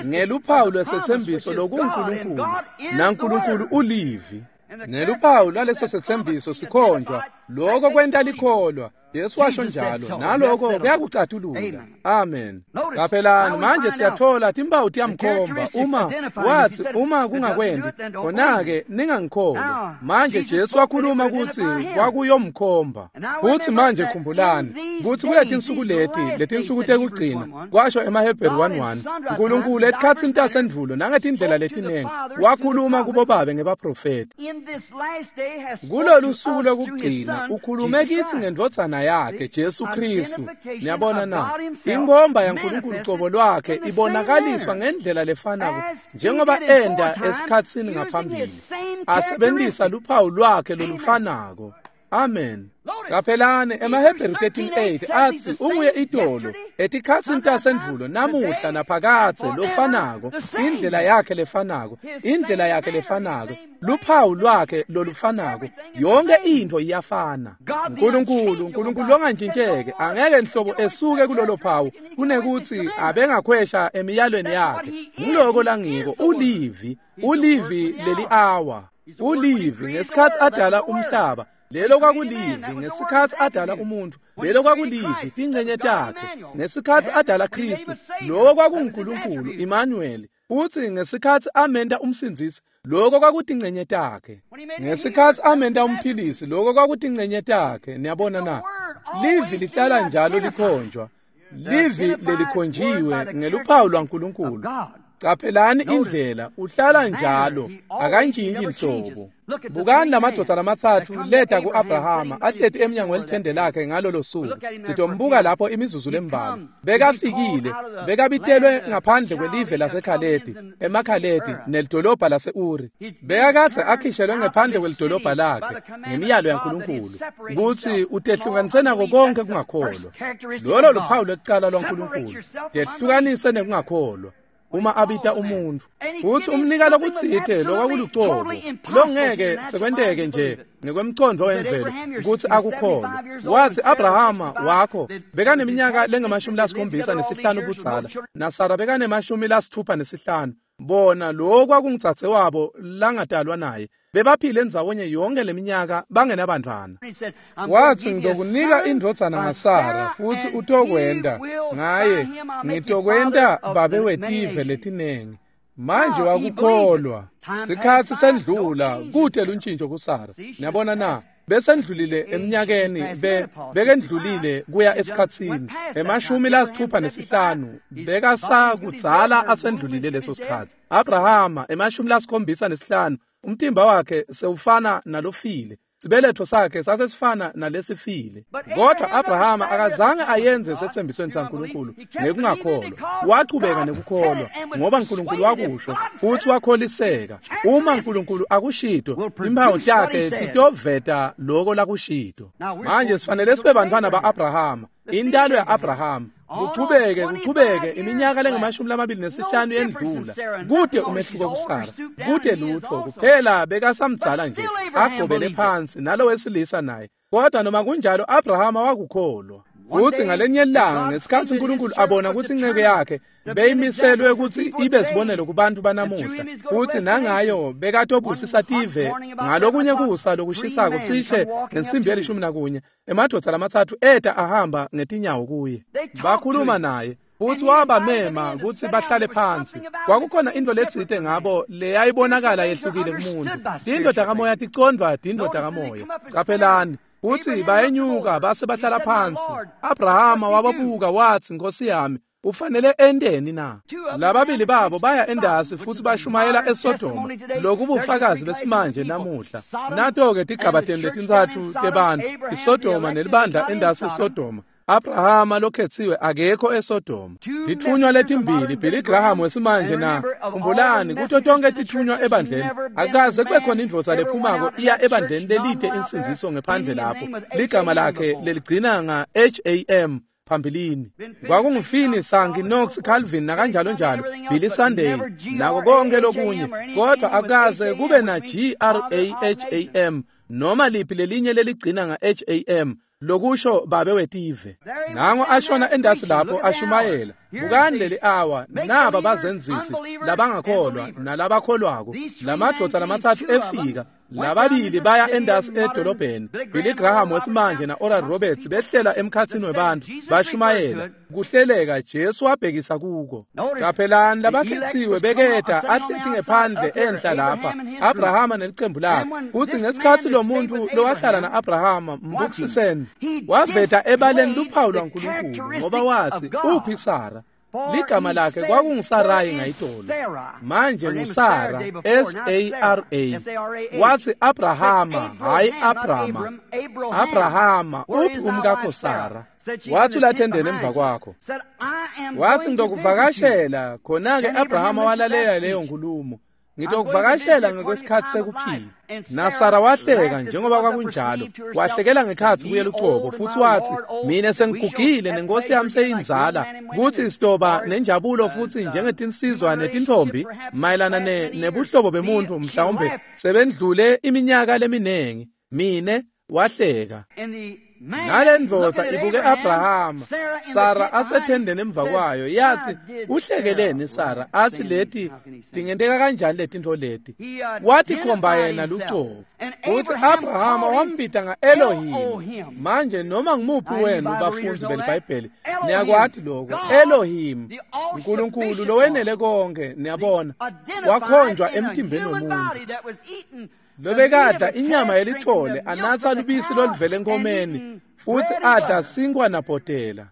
ngeluphawu lwesethembiso lokuNkulunkulu, naNkulunkulu ulivi. Neluphawu lwaleso sethembiso sikhonjwa, lokho kwenta likholwa. Jesu washo njalo, naloko kuyakucatulula. Amen. Qaphelani manje siyathola timphawu tiyamkhomba. Uma wathi uma kungakwendi, khona-ke ningangikholwa. Manje Jesu wakhuluma ukuthi kwakuyomkhomba. Futhi manje khumbulani ukuthi kuletinsuku letinsuku tekugcina, kwasho emaHebheru 1:1, uNkulunkulu etikhatsini tasendvulo nangetindlela letinengi wakhuluma kubobabe ngebaprofethi. Kulolu suku lokugcina ukhulume kithi ngendvodzana yakhe Jesu Kristu. Niyabona na? Inkomba yaNkulunkulu qobo lwakhe ibonakaliswa ngendlela lefanako njengoba enda esikhatsini ngaphambili, asebenzisa luphawu lwakhe lolufanako. Amen. Qaphelani emaHebheru 13:8 athi unguye itolo etikhatsini tasendvulo namuhla naphakadze lofanako, indlela yakhe lefanako, indlela yakhe lefanako, luphawu lwakhe lolufanako, yonke into iyafana. uNkulunkulu, uNkulunkulu longantshintsheke angeke nhlobo esuke kulolo phawu kunekuthi abengakhwesha emiyalweni yakhe. Ngiloko langiko, ulivi, ulivi leli hour, ulivi ngesikhathi adala umhlaba. Lelo kwakulivi ngesikhathi adala umuntu, lelo kwakulivi tingcenye takhe ngesikhathi adala Kristu, lowo kwakunguNkulunkulu Emmanuel. Uthi ngesikhathi amenta umsindzisi, Lokho kwakutingcenye takhe. Ngesikhathi amenta umphilisi, lokho kwakutingcenye takhe. Niyabona na? Livi lihlala njalo likhonjwa. Livi lelikhonjiwe ngeluphawu lwaNkulunkulu. Caphelani indlela, uhlala njalo, akantshintshi nhlobo. Bukani lamadvodza lamathathu leta ku-Abrahama ahleti emnyango welithende lakhe ngalolo suku. Sitombuka lapho imizuzu lembalwa. Bekafikile, bekabitelwe ngaphandle kwelive laseKhaledi, emaKhaledi nelidolobha lase-Uri. Bekakadze akhishelwe ngephandle kwelidolobha lakhe ngemiyalo yaNkulunkulu kutsi utehlukanise nako konke kungakholwa. Lolo luphawu lwekucala lwaNkulunkulu, tehlukanise nekungakholwa. Uma abita umuntu futhi umnika lokutsite lokwakulucobo longeke sekwenteke nje ngekwemcondvo wemvelo kutsi akukholwe. Wathi Abrahama wakho bekaneminyaka lengamashumi-75 budzala naSara bekanemashumi-65. Bona lo kwakungitsatse wabo langadalwa naye, bebaphile ndzawonye yonke leminyaka bangenabantwana. Wathi ngitokunika indvodzana ngaSara futhi utokwenda ngaye, ngitokwenta babe wetive letinengi. Manje wakukholwa. Sikhathi sendlula kute luntshintsho kuSara. Niyabona na? Besendlulile eminyakeni, bekendlulile kuya esikhatsini 65 bekasakudzala asendlulile leso sikhathi. Abrahama 75 umtimba wakhe sewufana nalofile, sibeletho sakhe sasesifana nalesifile. Kodwa Abrahama akazange ayenze sethembisweni saNkulunkulu ngekungakholwa. Wachubeka nekukholwa ngoba uNkulunkulu wakusho futhi wakholiseka. Uma uNkulunkulu akushito, impawu takhe titoveta loko lakushito. Manje sifanele sibe bantwana ba-Abrahama, intalo ya-Abrahama. Kuchubeke kuchubeke iminyaka lengamashumi-25 yendlula, kute umehluko kuSara, kute lutho kuphela bekasamdzala nje agobele phansi nalowesilisa naye. Kodwa noma kunjalo Abrahama wakukholwa. Futhi ngalenye ilanga ngesikhathi uNkulunkulu abona ukuthi inceke yakhe beyimiselwe ukuthi ibe sibonelo kubantu banamuhla, futhi nangayo bekatobusisa tive ngalokunye kusa lokushisako cishe ngensimbi ye-11, emadvodza lamathathu eta ahamba ngetinyawo kuye. Bakhuluma naye futhi wabamema kutsi bahlale phansi. Kwakukhona into letsite ngabo leyayibonakala yehlukile kumuntu. Tindvo takamoya ticondvwa tindvo takamoya. Caphelani futhi bayenyuka base bahlala phansi. Abrahama wababuka wathi, Nkosi yami, ufanele enteni na? Lababili babo baya endasi futhi bashumayela eSodoma, lokubufakazi besimanje namuhla. Nato-ke tigabateni letintsatfu tebantfu, iSodoma nelibandla endasi eSodoma. Abrahama lokhetsiwe akekho eSodoma. Titfunywa letimbili, Billy Graham wesimanje na khumbulani, kuto tonke titfunywa ebandleni akaze kube khona indvodza lephumako iya ebandleni lelide insindziso ngephandle lapho ligama lakhe leligcina nga HAM phambilini. Kwakungufini, Sankey, Knox, Calvin nakanjalo njalo, Billy Sunday nako konke lokunye, kodwa akaze kube na Graham noma liphi lelinye leligcina nga HAM lokusho babe wetive. Nango ashona endasi lapho ashumayela. Bukani leli awa, naba bazenzisi labangakholwa nalabakholwako. Lamadvodza lamathathu efika, lababili baya endasi edolobheni. Billy Graham wesimanje na Oral Roberts behlela emkhatsini webantfu bashumayela. Kuhleleka Jesu wabhekisa kuko. Caphelani labakhetsiwe beketa ahleti ngephandle enhla lapha, Abrahama nelicembu lakhe. Kutsi ngesikhatsi lo muntu lowahlala na-Abrahama mbukisiseni, waveta ebaleni luphawu lwaNkulunkulu ngoba wathi uphi Sara? Ligama lakhe kwakunguSarayi ngayitolo, manje nguSara, S-A-R-A. Wathi Abrahama, hayi Abrama. Abrahama, uphi umkakho Sara? Wathi ulathendeni emva kwakho. Wathi ngitokuvakashela. Khona-ke Abrahama walalela leyo nkulumo. Ngitokuvakashela ngekwesikhathi sekuphila. NaSara wahleka njengoba kwakunjalo, wahlekela ngekhatsi kuye lucobo futhi wathi, mina sengigugile nenkosi yami seyinzala, kuthi sitoba nenjabulo futhi njengetinsizwa netintfombi mayelana nebuhlobo bemuntu mhlawumbe sebendlule iminyaka leminengi. Mine Wahleka. Nalendvodza ibuke Abrahama, Sara asethendeni emva kwayo, yathi, uhlekeleni Sara? Athi leti tingenteka kanjani letintfo leti? Watikhomba yena lucobo. Uthi Abrahama wambita nga-Elohim. Manje noma ngimuphi wenu bafundzi beliBhayibheli niyakwati lokho. Elohim, uNkulunkulu lowenele konke, niyabona, wakhonjwa emtimbeni womuntu. Lobekadla inyama yelithole, anatsa lubisi loluvela enkomeni, futhi adla sinkwa nabhotela.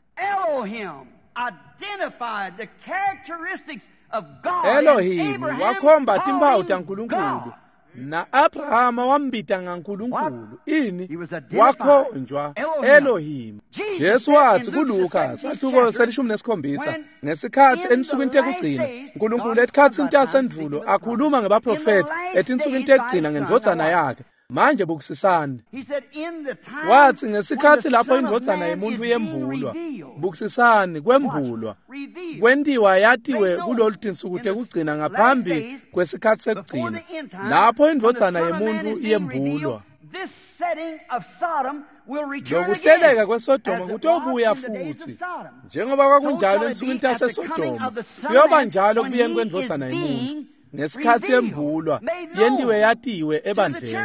Elohim wakhomba timphawu taNkulunkulu, na-Abrahama wambita ngaNkulunkulu. Ini? Wakhonjwa Elohim. Jesu wathi kuLuka sahluko se-17 ngesikhathi ensukwini tekugcina uNkulunkulu etikhatsini tasendvulo akhuluma ngebaprofeti etinsukwini tekugcina ngendvodzana yakhe. Manje bukisisani. Wathi ngesikhathi lapho indvodzana yemuntu yembulwa, bukisisani, kwembulwa, kwentiwa yatiwe kulolu tinsuku tekugcina ngaphambi kwesikhathi sekugcina, lapho indvodzana yemuntu yembulwa. Lokuhleleka kweSodoma kutobuya futhi, njengoba kwakunjalo ensukwini taseSodoma, kuyoba njalo kubuyeni kwendvodzana yemuntu. Ngesikhathi yembulwa, yentiwe yatiwe ebandleni.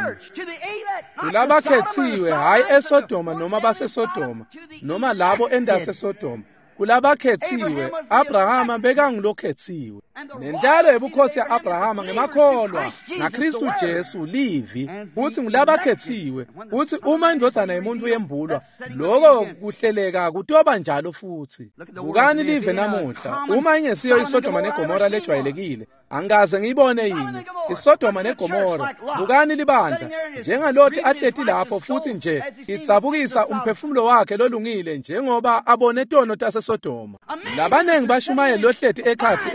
Kulabakhetsiwe, hhayi eSodoma noma baseSodoma, noma labo endaseSodoma. Kulabakhetsiwe, Abrahama bekangulokhetsiwe. Nentalo yebukhosi ya-Abrahama ngemakholwa ngaKristu Jesu livi, kutsi ngulabakhetsiwe, kutsi uma indvodzana yemuntu yembulwa, loko kuhleleka kutoba njalo futhi. Bukani live namuhla, uma ingesiyo iSodoma neGomora lejwayelekile, angikaze ngiyibone yini iSodoma neGomora. Bukani libandla njengaloti ahleti lapho futhi nje idzabukisa umphefumulo wakhe lolungile njengoba abone tono taseSodoma. Labanengi bashumayeli lohleti ekhatsi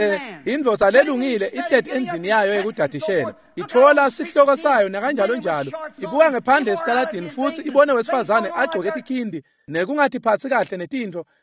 indvodza lelungile ihleti endlini yayo yekudadishela, itfola sihloko sayo nakanjalo njalo, ibuka ngephandle esitaladini futhi ibone wesifazane agcoke tikhindi nekungatiphatsi kahle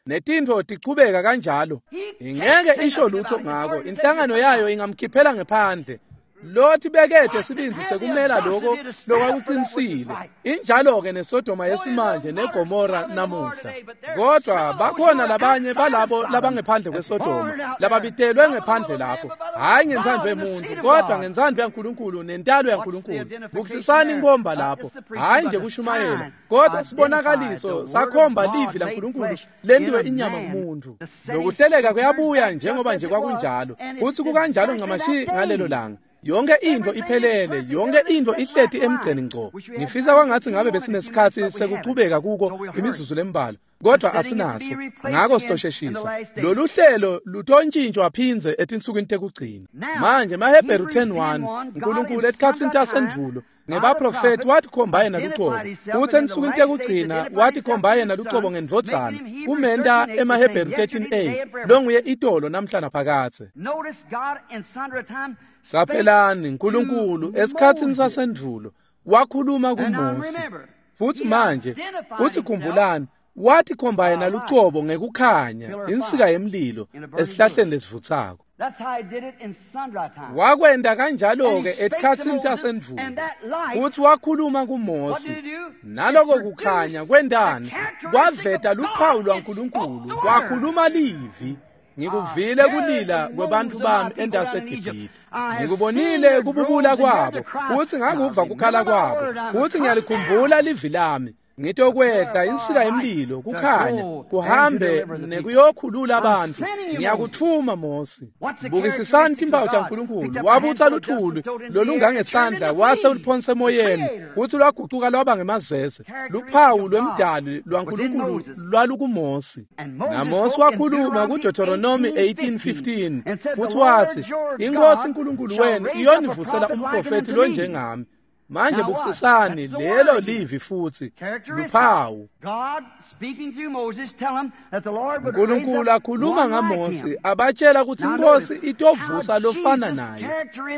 netintfo tichubeka kanjalo. Ingeke isho lutho ngako, inhlangano yayo ingamkhiphela ngephandle. Lothi bekethe sibindzi sekumela lokho lokwakuqinisile. Injalo-ke neSodoma yesimanje neGomora namuhla. Kodwa bakhona labanye balabo labangephandle kweSodoma, lababitelwe ngephandle lapho, hhayi ngentsandvo yemuntu, kodwa ngentsandvo yaNkulunkulu nentalo yaNkulunkulu. Bukisisani inkomba lapho, hhayi nje kushumayela, kodwa sibonakaliso sakhomba livi laNkulunkulu lentiwe inyama kumuntu. Lokuhleleka kuyabuya njengoba nje kwakunjalo, kutsi kukanjalo ncamashi ngalelo langa. Yonke intfo iphelele, yonke intfo ihleti emgceni ngco. Ngifisa kwangathi ngabe besinesikhathi sekuchubeka kuko imizuzu lembalwa, kodwa asinaso, ngako sitosheshisa. Lolu hlelo lutontshintshwa phindze etinsukwini tekugcina. Manje maHebheru 10:1, uNkulunkulu etikhatsini tasendvulo ngebaprofeti watikhomba yena lucobo, kutsi ensukwini tekugcina watikhomba yena lucobo ngendvodzana, kumenta emaHebheru 13:8, longuye itolo namhla naphakadze. Qaphelani, uNkulunkulu esikhatsini sasendvulo wakhuluma kuMose. Futhi manje, uthi khumbulani, watikhomba yena lucobo ngekukhanya, insika yemlilo esihlahleni lesivutsako. Wakwenta kanjalo-ke etikhatsini tasendvulo, futhi wakhuluma kuMose. Naloko kukhanya kwentani? Kwaveta luphawu lwaNkulunkulu, kwakhuluma livi. Ngikuvile kulila kwebantfu bami endaseGibhithe. Ngikubonile kububula kwabo, futhi ngakuva kukhala kwabo, futhi ngiyalikhumbula livi lami. Ngitokwehla insika yemlilo kukhanya kuhambe nekuyokhulula abantu. Ngiyakuthuma Mose. Bukisisani timphawu taNkulunkulu. Wabutsa luthuli lolungangesandla wase uliphonsa emoyeni, kutsi lwagucuka lwaba ngemazeze. Luphawu lwemdali lwaNkulunkulu lwalukuMose. NaMose wakhuluma kuDeuteronomy 18:15 futhi wathi, iNkosi uNkulunkulu wenu iyonivusela umprofeti lonjengami. Manje bukisisani lelo livi futhi luphawu. uNkulunkulu akhuluma ngaMose abatshela ukuthi iNkosi itovusa lofana naye.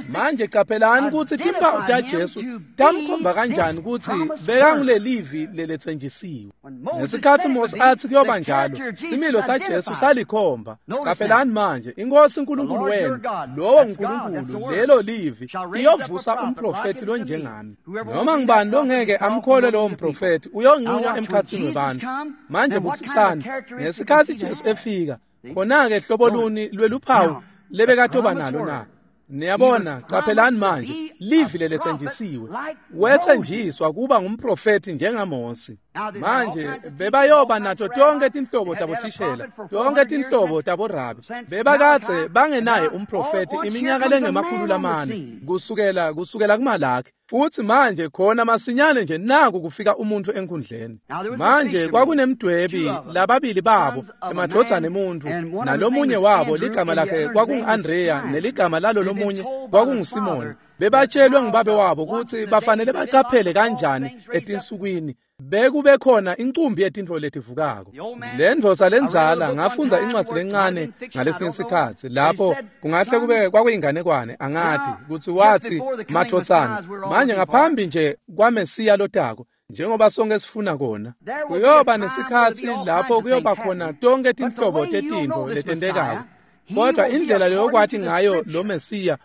Manje qaphelani ukuthi timphawu taJesu tamkhomba kanjani ukuthi bekangulelivi leletsenjisiwe. Ngesikhathi Mose athi kuyoba njalo, similo saJesu salikhomba. Qaphelani manje, iNkosi uNkulunkulu wenu, lowo uNkulunkulu, lelo livi iyovusa umprofeti lonjengami. ngami. Noma ngibani longeke amkholwe lowo mprofethi uyonqunywa emkhathini webantfu. Manje bukisisani, ngesikhatsi Jesu efika, khona-ke hlobo luni lweluphawu lebekatoba nalo na? Niyabona, caphelani manje, livi leletsenjisiwe. Wetsenjiswa kuba ngumprofethi njengaMose. Manje bebayoba nato tonke tinhlobo tabothishela, tonke tinhlobo taborabi. Bebakadze bangenaye umprofethi iminyaka lengama-400 kusukela kuMalaki. Futhi manje khona masinyane nje naku kufika umuntu enkundleni. Manje kwakunemdwebi lababili babo, emadvodzana emuntfu, nalomunye wabo ligama lakhe kwakungu-Andreya neligama lalo lomunye kwakunguSimoni. Bebatshelwe ngubabe wabo kutsi bafanele bacaphele kanjani etinsukwini bekube khona incumbi yetintfo letivukako. Le ndvodza lendzala, ngafundza incwadzi lencane ngalesinye isikhatsi lapho kungahle kube kwakuyinganekwane, angati kutsi wathi, madvodzana, manje ngaphambi nje kwaMesiya lotako, njengoba sonke sifuna kona, kuyoba nesikhatsi lapho kuyoba khona tonke tinhlobo tetintfo letentekako. Kodwa indlela leyokwati ngayo lo Mesiya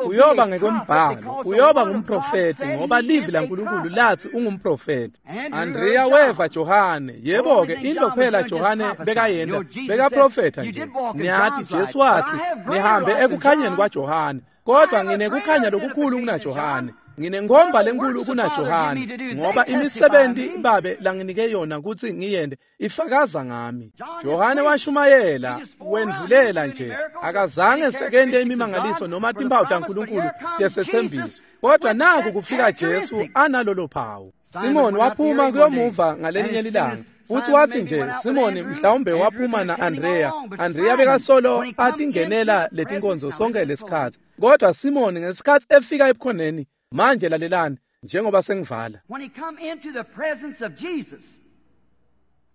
uyoba ngekwembhalo, uyoba ngumprofethi ngoba livi laNkulunkulu lathi ungumprofethi. Andrea weva Johane, yebo-ke into kuphela Johane bekayenta bekaprofetha nje. Niyati Jesu wathi, nihambe ekukhanyeni kwaJohane, kodwa nginekukhanya lokukhulu kunaJohane. Nginenkhomba lenkulu kunaJohane, ngoba imisebenti babe langinike yona kutsi ngiyente ifakaza ngami. Johane washumayela, wendvulela nje, akazange sekente imimangaliso noma timphawu taNkulunkulu tesetsembiso. Kodwa naku kufika Jesu analolo phawu. Simoni waphuma kuyomuva ngalelinye lilanga. Futhi wathi nje Simoni mhlawumbe waphuma na-Andrea. Andrea bekasolo atingenela letinkonzo sonke lesikhatsi. Kodwa Simoni ngesikhatsi efika ebukhoneni, manje lalelani njengoba sengivala.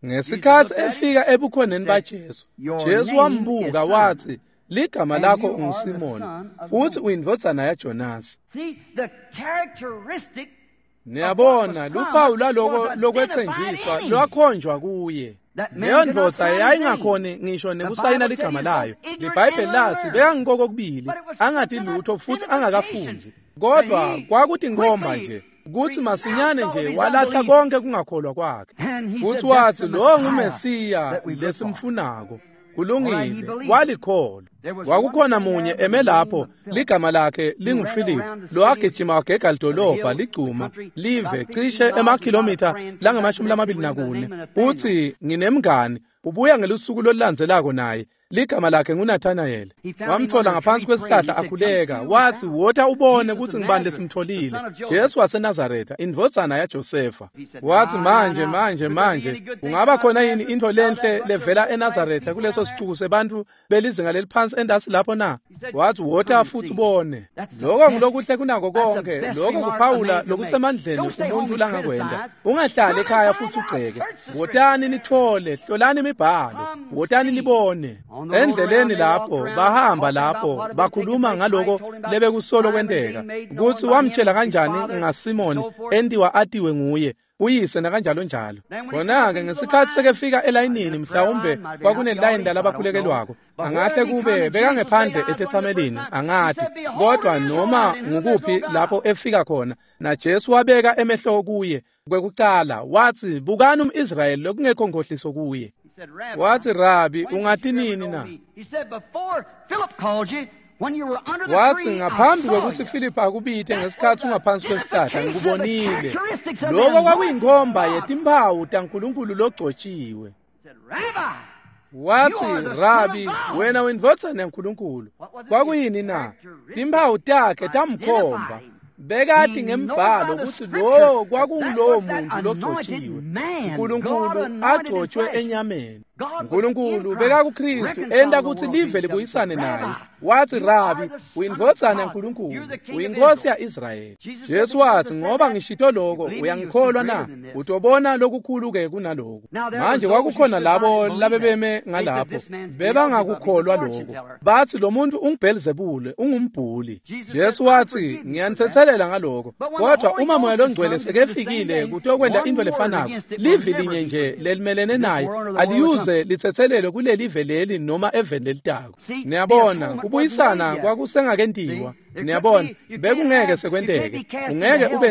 Ngesikhatsi efika ebukhoneni baJesu, Jesu wambuka wathi, ligama lakho unguSimoni, futhi uyindvodzana yaJonasi. Niyabona, luphawu lwaloko lokwetsenjiswa lwakhonjwa kuye. Leyo ndvodza yayingakhoni ngisho nekusayina ligama layo. LiBhayibheli lathi bekangikoko kubili, angati lutho futhi angakafundzi. Kodwa kwakutinkhomba nje kutsi masinyane nje walahla konke kungakholwa kwakhe. Futhi wathi lo nguMesiya lesimfunako. Kulungile, walikholwa. Kwakukhona munye eme lapho, ligama lakhe linguFiliphu, lowagijima wagega lidolobha ligcuma live cishe emakhilomitha langama-24. Uthi nginemngani, ubuya ngelusuku lolulandzelako naye, ligama lakhe nguNathanayeli. Wamthola ngaphansi kwesihlahla akhuleka, wathi wota ubone kutsi ngibani lesimtholile, Jesu waseNazaretha, indvodzana yaJosefa. Wathi manje manje manje, kungaba khona yini intfo lenhle levela eNazaretha kuleso sicuku sebantfu belizinga leliphansi endasi lapho na? Wathi wota futhi ubone. Lokho ngulokuhle kunako konke, lokho kuphawula lokusemandleni umuntu langakwenta. Ungahlali ekhaya futhi ugceke. Wotani nitfole, hlolani imibhalo, wotani nibone. Endleleni lapho bahamba lapho bakhuluma ngaloko lebekusolo kwenteka, kutsi wamtshela kanjani ngaSimoni entiwa atiwe nguye uyise nakanjalo njalo. Khona-ke ngesikhatsi sekefika elayinini, mhlawumbe kwakunelayini lalabakhulekelwako, angahle kube bekangephandle etetsamelini, angati, kodwa noma ngukuphi lapho efika khona, naJesu wabeka emehlo kuye kwekucala, wathi bukani umIsrayeli lokungekho nkhohliso kuye. Wathi, Rabi, ungati nini na? Wathi ngaphambi kwekutsi Philip akubite ngesikhatsi ungaphansi kwesihlahla ngikubonile. Lokho kwakuyinkhomba yetimphawu taNkulunkulu logcotshiwe. Wathi, Rabi, wena uyindvodzana yaNkulunkulu. Kwakuyini na? Timphawu takhe tamkhomba. Bekati ngembhalo kutsi lo kwakungulowo muntu logcotshiwe, uNkulunkulu agcotshwe enyameni. uNkulunkulu bekakuKristu enta kutsi live libuyisane naye. Wathi, Rabi, uyindvodzana yaNkulunkulu, uyinkosi ya-Israyeli. Jesu wathi, ngoba ngishito lokho, uyangikholwa na? Utobona lokukhulu-ke kunaloku. Manje kwakukhona labo labebeme ngalapho, bebangakukholwa lokho. Bathi lo muntu unguBhelzebule, ungumbhuli. Jesu wathi, ngiyanithetselela ngalokho, kodwa uma Moya loNgcwele sekefikile kutokwenta into lefanako, livi linye nje lelimelene naye aliyuze liphindze litsetselelwe kulelive leli noma eveni lelitako. Niyabona, kubuyisana kwakusengakentiwa. Niyabona, bekungeke sekwenteke. Ungeke ube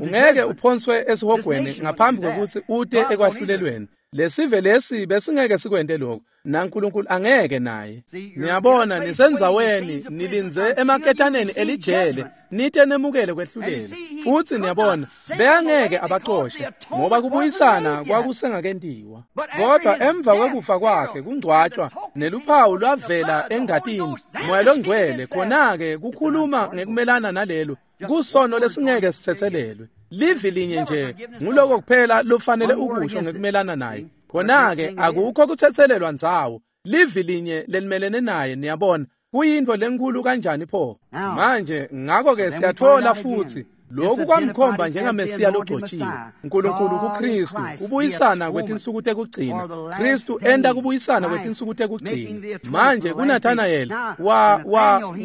ungeke uphonswe esihogweni ngaphambi kwekutsi ute ekwahlulelweni. Lesive lesi besingeke sikwente lokho, naNkulunkulu angeke naye. Niyabona, nisendzaweni nilindze emaketaneni elijele, nite nemukele kwehlulela. Futsi niyabona, beyangeke abacoshe ngoba kubuyisana kwakusengakentiwa. Kodwa emva kwekufa kwakhe kungcwatshwa neluphawu lwavela engatini, Moya loNgcwele khona-ke kukhuluma ngekumelana nalelo kusono lesingeke sitsetselelwe. Livi linye nje nguloko kuphela lofanele ukusho ngekumelana naye. Khona-ke akukho kutsetselelwa ndzawo, livi linye lelimelene naye. Niyabona, kuyintfo lenkulu kanjani pho. Manje ngakho-ke siyatfola futsi lokhu kwamkhomba njengaMesiya logcotshiwe, uNkulunkulu kuKristu, kubuyisana kwetinsuku tekugcina. Kristu enta kubuyisana kwetinsuku tekugcina. Manje kuNathanayeli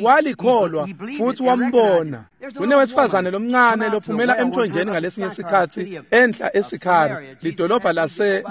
walikholwa futhi wambona. Kunewesifazane lomncane lophumela emthonjeni ngalesinye sikhatsi enhla eSikhari, lidolobha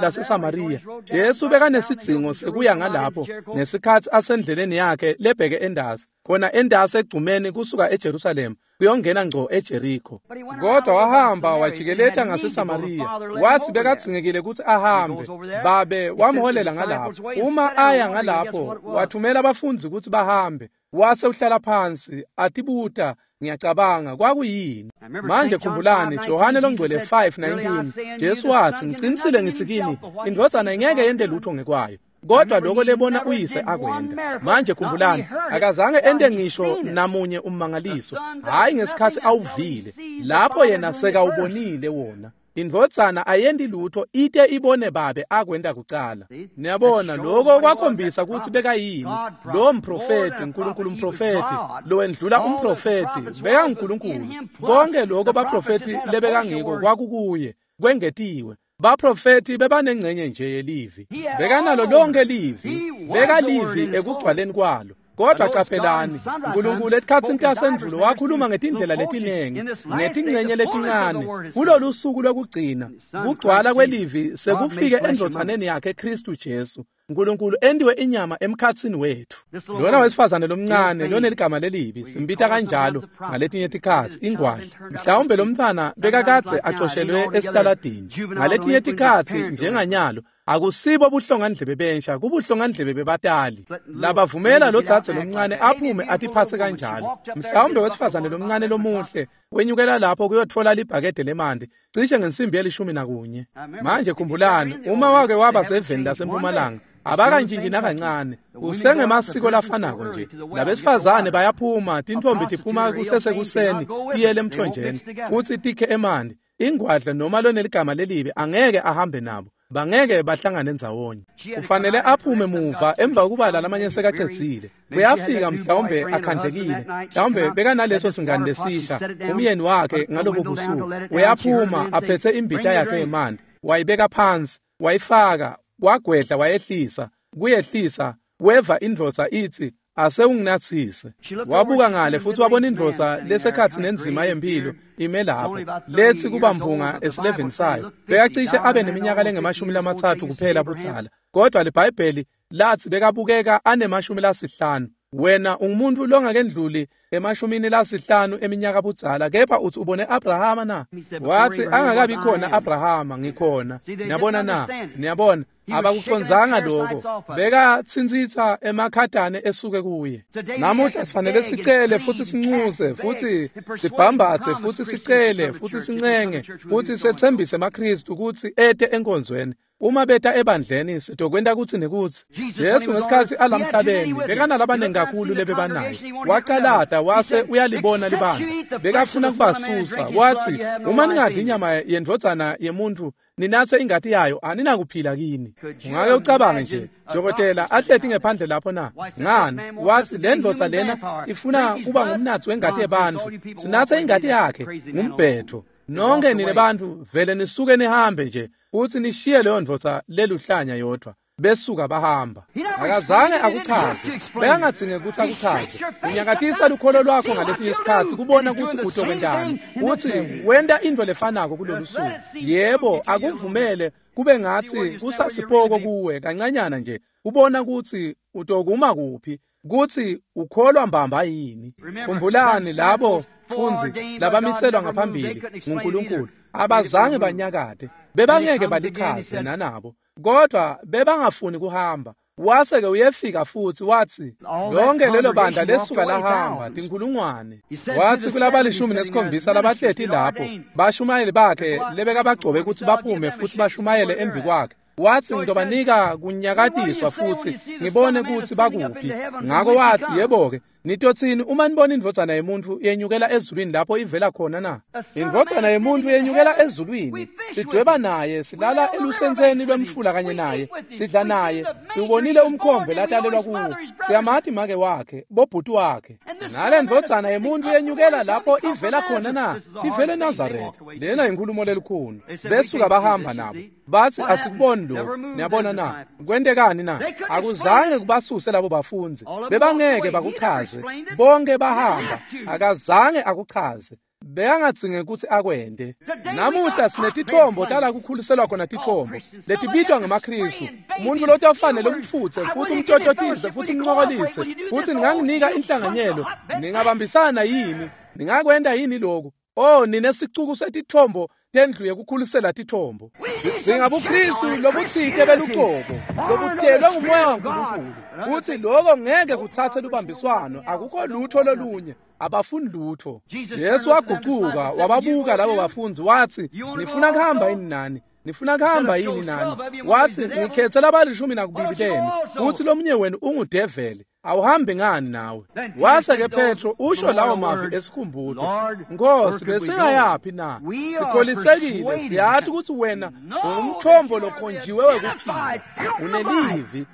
laseSamariya. Jesu bekanesidzingo sekuya ngalapho ngesikhatsi asendleleni yakhe lebheke endasi, khona endasi egcumeni kusuka eJerusalema kuyongena ngco eJeriko. Kodwa wahamba wajikeleta ngaseSamariya. Wathi bekadzingekile ukuthi ahambe, babe wamholela ngalapho. Uma aya ngalapho, wathumela abafundzi ukuthi bahambe. Wase uhlala phansi atibuta, ngiyacabanga kwakuyini. Manje khumbulani, Johane loNgcwele 5:19, Jesu wathi, ngicinisile ngithi kini, indvodzana ingeke yente lutho ngekwayo, kodwa lokho lebona uyise akwenta. Manje khumbulani, akazange ente ngisho namunye ummangaliso, hhayi ngesikhatsi awuvile, lapho yena sekawubonile wona. Indvodzana ayendi lutho ite ibone babe akwenta kucala. Niyabona, lokho kwakhombisa kutsi bekayini lo mprofethi, uNkulunkulu umprofethi lowendlula umprofethi, bekanguNkulunkulu. Konke lokho baprofethi lebekangiko kwakukuye kwengetiwe. Baprofethi bebanengcenye nje yelivi, bekanalo lonke livi, bekalivi ekugcwaleni kwalo. Kodwa caphelani, uNkulunkulu etikhatsini tasendvulo wakhuluma ngetindlela letinengi, ngetingcenye letincane. Kulolu suku lokugcina, kugcwala kwelivi sekufike endvodzaneni yakhe Kristu Jesu. uNkulunkulu entiwe inyama emkhatsini wethu. Lona wesifazane lomncane loneligama lelibi, simbita kanjalo ngaletinye tikhatsi, ingwadla. Mhlawumbe lomntfwana bekakadze acoshelwe esitaladini. Ngaletinye tikhatsi njenganyalo, akusibo buhlongandlebe bensha, kubuhlongandlebe bebatali labavumela lo dzadze lomncane aphume atiphatse kanjalo. Mhlawumbe wesifazane lomncane lomuhle wenyukela lapho kuyotfola libhakede lemanti cishe ngensimbi ye-11. Manje khumbulani, uma wake waba seveni lasempumalanga, abakantshintshi nakancane, usengemasiko lafanako nje. Labesifazane bayaphuma, tintfombi tiphuma kusesekuseni tiyele emthonjeni futsi tikhe emanti. Ingwadla noma loneligama lelibi angeke ahambe nabo, bangeke bahlangane ndzawonye. Kufanele aphume muva emva kokuba lamanye sekacedzile. Uyafika mhlawumbe akhandlekile, mhlawumbe bekanaleso singani lesisha, umyeni wakhe ngalobo busuku. Uyaphuma aphethe imbita yakhe yemanti, wayibeka phansi, wayifaka, wagwedla wayehlisa, kuyehlisa, weva indvodza itsi, ase unginatsise. Wabuka ngale futhi wabona indvodza lesekhatsi nenzima yempilo ime lapho, lethi kuba mphunga esileveni sayo. Bekacishe abe neminyaka lengama-30 kuphela budzala, kodwa liBhayibheli lathi bekabukeka anema-50. Wena ungumuntu longakendluli ema-50 eminyaka budzala, kepha uthi ubone Abrahama na? Wathi angakabi khona Abrahama, ngikhona. Niyabona na? Niyabona, abakucondzanga lokho. Bekatsintsitsa emakhadane esuke kuye. Namuhla sifanele sicele futhi sincuse futhi sibhambathe futhi sicele futhi sincenge futhi sethembise emaKristu ukuthi ete enkonzweni. Uma beta ebandleni sitokwenta kutsi nekutsi. Jesu ngesikhatsi alamhlabeni bekanalabanengi kakhulu lebebanaye. Wacalata wase uyalibona libandla, bekafuna kubasusa. Wathi, uma ningadli inyama yendvodzana yemuntfu ninatse ingati yayo, aninakuphila kini. Ungake ucabange nje, dokotela ahleti ngephandle lapho na? Ngani? Wathi le ndvodza lena ifuna kuba ngumnatsi wengati yebantfu, sinatse ingati yakhe, ngumbhetho. Nonke nine bantfu vele nisuke nihambe nje futhi nishiye leyo ndvodza leluhlanya yodwa. Besuka bahamba. Akazange akuchaze, bekangadzinge ukuthi akuchaze. Unyakatisa lukholo lwakho ngalesinye isikhatsi kubona ukuthi utokwentani, uthi wenta into lefanako kulolu suku. Yebo, akuvumele kube ngathi kusasipoko kuwe kancanyana nje ubona ukuthi utokuma kuphi kuthi ukholwa mbamba yini. Khumbulani labo fundzi labamiselwa ngaphambili nguNkulunkulu abazange banyakade, bebangeke balichaze nanabo, kodwa bebangafuni kuhamba. Wase-ke uyefika futhi wathi lonke lelo bandla lesuka lahamba tinkulungwane. Wathi kulabalishumi nesikhombisa labahleti lapho bashumayeli bakhe lebekabagcobe ukuthi baphume futhi bashumayele embi kwakhe. Wathi ngitobanika kunyakatiswa futhi ngibone ukuthi bakuphi. Ngako wathi yebo-ke nitothini uma nibona indvodzana yemuntfu yenyukela ezulwini lapho ivela khona na? Indvodzana yemuntfu yenyukela ezulwini, sidweba naye, silala elusentseni lwemfula kanye naye, sidla naye, siwubonile umkhombe latalelwa kuwo, siyamati make wakhe, bobhuti wakhe. Nale ndvodzana yemuntfu yenyukela lapho ivela khona na? Ivele eNazaretha. Lena inkhulumo lelikhulu. Besuka bahamba nabo bathi asikuboni lokho. Niyabona na? Kwentekani na? Akuzange kubasuse labo bafundzi, bebangeke bakuchaze. Bonke bahamba, akazange akuchaze. Bekangadzinge ukuthi akwente. Namuhla sinetithombo tala kukhuliselwa khona tithombo letibitwa ngemaKristu. Umuntu lotofanele umfutse futhi umtototise futhi umncokolise futhi ninganginika inhlanganyelo, ningabambisana yini, ningakwenta yini lokhu? Oh, ninesicuku setithombo tendlu yekukhulisela tithombo. Sidzinga buKristu lobutsite belucobo lobutelwe ngumoya waNkulunkulu kuthi lokho ngeke kutsatse lubambiswano, akukho lutho lolunye, abafuni lutho. Jesu wagucuka wababuka labo bafundzi wathi nifuna kuhamba yini nani? Nifuna kuhamba yini nani? Wathi ngikhethe labalishumi nakubili benu kuthi lomunye wenu ungudeveli, awuhambi ngani nawe? Wase-ke Petro usho lawo mavi esikhumbuto, Nkosi besingayaphi na? Sikholisekile, siyathi ukuthi wena ungumthombo lokhonjiwe wekuphila, unelivi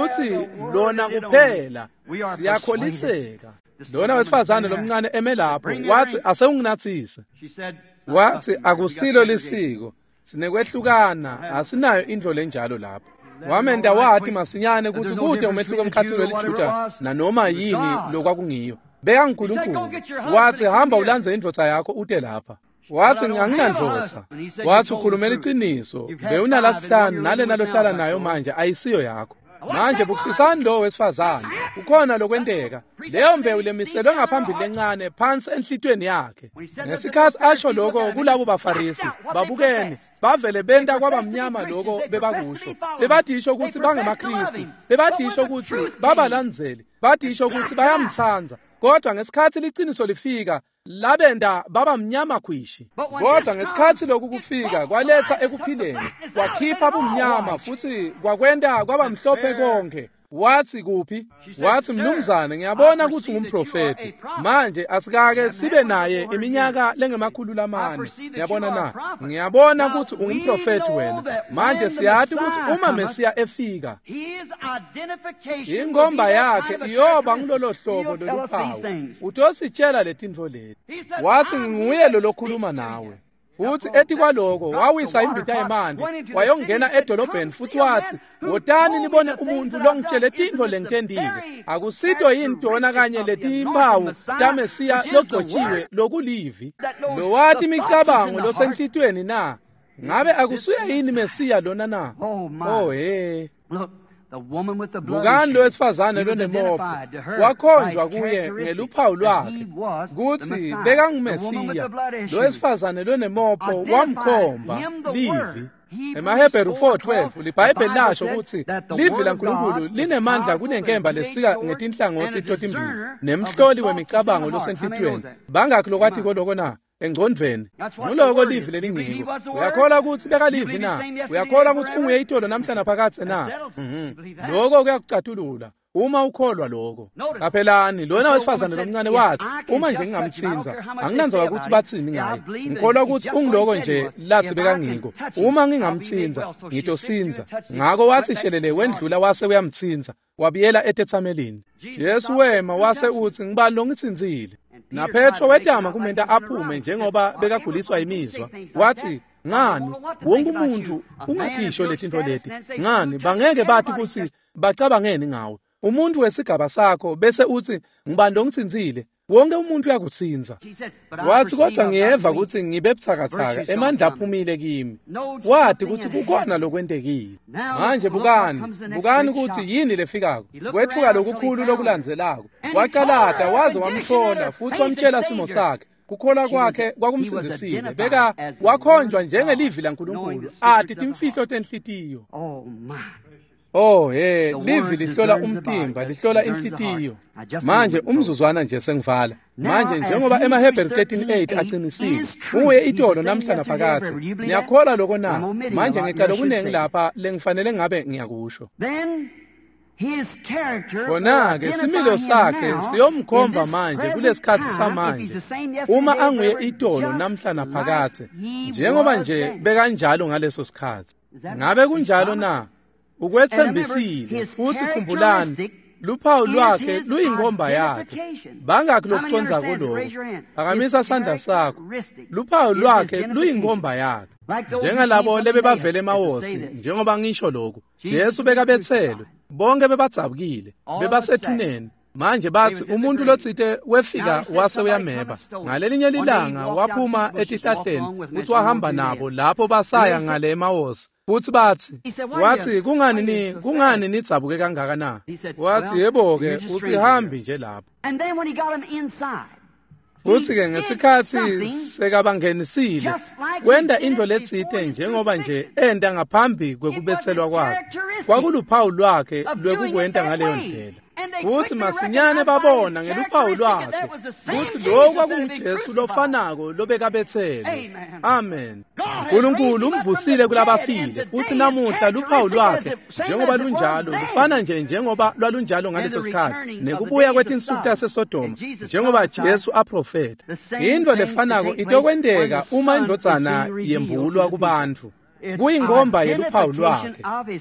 uthi lona kuphela, siyakholiseka. Lona wesifazane lomncane eme lapho wathi asewunginathise. Wathi akusilo lisiko, sinekwehlukana, asinayo indlo lenjalo lapho. Wamenda wathi masinyane ukuthi kude umehluko emkhathini weliJuda nanoma yini lokwakungiyo. BekaNkulunkulu. Wathi hamba ulandze indvodza yakho ute lapha. Wathi anginandvodza. Wathi ukhulumela iqiniso, bewunalasihlanu nalena lohlala nayo manje ayisiyo yakho. Manje bukisisani lo wesifazane, kukhona lokwenteka. Leyo mbewu lemiselwe ngaphambili lencane phansi enhlitweni yakhe. Ngesikhathi asho lokho kulabo baFarisi, babukene, bavele benta kwabamnyama lokho bebakusho. Bebadisho ukuthi bangemaKristu, bebadisho ukuthi babalandzeli, badisho ukuthi bayamtsandza. Kodwa ngesikhathi liqiniso lifika, labenda baba mnyama khwishi. Kodwa ngesikhathi lokhu kufika kwaletha ekuphileni, kwakhipha bumnyama futhi kwakwenta kwaba mhlophe konke. Wathi kuphi? Wathi mnumzane ngiyabona ukuthi ungumprofeti. Manje asikake sibe naye iminyaka lengemakhulu lamane. Ngiyabona na? Ngiyabona ukuthi ungumprofeti wena. Manje siyathi ukuthi uma Mesiya efika, ingomba yakhe iyoba ngilolo hlobo loluphawu. Utositshela letintfo leti. Wathi nguye lo lokhuluma nawe. Futhi ethi kwaloko wawisa imbita yemanti wayongena edolobheni futhi wathi wotani nibone umuntu longitshele tintfo lengitendile. Akusito yini tona kanye letimphawu taMesiya logcotshiwe lokulivi lowathi imicabango losenhlitweni na? Ngabe akusuye yini Mesiya lona na? Oh he. Bukani lo wesifazane lonemopho wakhonjwa kuye ngeluphawu lwakhe kutsi bekanguMesiya. Lo wesifazane lonemopho wamkhomba livi. EmaHebheru 4:12 liBhayibheli lasho ukuthi livi laNkulunkulu linemandla kunenkemba lesika ngetinhlangothi totimbili nemhloli wemicabango losenhlitiyweni. Bangakhi lokwatiko loko na? Engcondvweni. Nguloko livi lelingiko. Uyakholwa ukuthi bekalivi na? Uyakholwa ukuthi unguye itolo namhlanje phakathe na? Lokho kuyakucatulula uma ukholwa lokho. Qaphelani lona wesifazane lomncane wathi uma nje ngingamthinza, anginandzaba ukuthi bathini ngaye, ngikholwa ukuthi ungiloko nje lathi bekangiko. Uma ngingamthinza ngitosinza. Ngako wathi shelele wendlula wase uyamthinza, wabiyela etethamelini. Jesu wema wase uthi ngibani longithinzile? NaPetro wetama kumenta aphume njengoba bekaguliswa imizwa. Wathi ngani wonke umuntu ungatisho letintfo leti? Ngani bangeke bathi ukuthi bacabangeni ngawe? Umuntu wesigaba sakho bese uthi ngibani longithinzile? Wonke umuntu uyakutsintsa. Wathi kodwa ngiyeva kutsi ngibe butsakatsaka, emandla aphumile kimi. Wati kutsi kukhona lokwentekile. Manje bukani, bukani kutsi yini lefikako. Kwetfuka lokukhulu lokulandzelako. Wacalata waze wamtfola futsi wamtshela simo sakhe. Kukholwa kwakhe kwakumsindzisile. Beka wakhonjwa njengelivi laNkulunkulu, ati timfihlo tenhlitiyo. Oh he, livi lihlola umtimba, lihlola inhlitiyo. Manje umzuzwana nje sengivala. Manje njengoba emaHebheru 13:8 aqinisile, unguye itolo namhla naphakadze. Niyakholwa lokho na? Manje ngicela okunengi lapha lengifanele ngabe ngiyakusho. Khona-ke similo sakhe siyomkhomba manje kulesikhatsi samanje, uma anguye itolo namhla naphakadze, njengoba nje bekanjalo ngaleso sikhatsi. Ngabe kunjalo na? Ukwethembisile futhi khumbulani, luphawu lwakhe luyinkomba yakhe. Bangakhi lokucondza kuloko? Phakamisa sandla sakho. Luphawu lwakhe luyinkomba yakhe. Njengalabo lebebavele emawosi, njengoba ngisho lokhu, Jesu bekabetselwe, bonke bebadzabukile, bebasethuneni. Manje bathi umuntu lotsite wefika wase uyameba. Ngalelinye lilanga waphuma etihlahleni futhi wahamba nabo lapho basaya ngale emawosi. Futhi bathi, wathi kungani nidzabuke kangaka na? Wathi yebo-ke, usihambi nje lapho. Futhi-ke ngesikhatsi sekabangenisile, wenta into letsite njengoba nje enta ngaphambi kwekubetselwa kwakhe. Kwakuluphawu lwakhe lwekukwenta ngaleyo ndlela. Futhi masinyane babona ngeluphawu lwakhe kutsi lokhu kwakunguJesu lofanako lobekabetselwe. Amen. uNkulunkulu umvusile kulabafile, futhi namuhla luphawu lwakhe njengoba lunjalo lufana nje njengoba lwalunjalo ngaleso sikhatsi, nekubuya kwetinsuku taseSodoma njengoba Jesu aprofetha. Into lefanako itokwenteka uma indvodzana yembulwa kubantfu. Kuyinkomba yeluphawu lwakhe.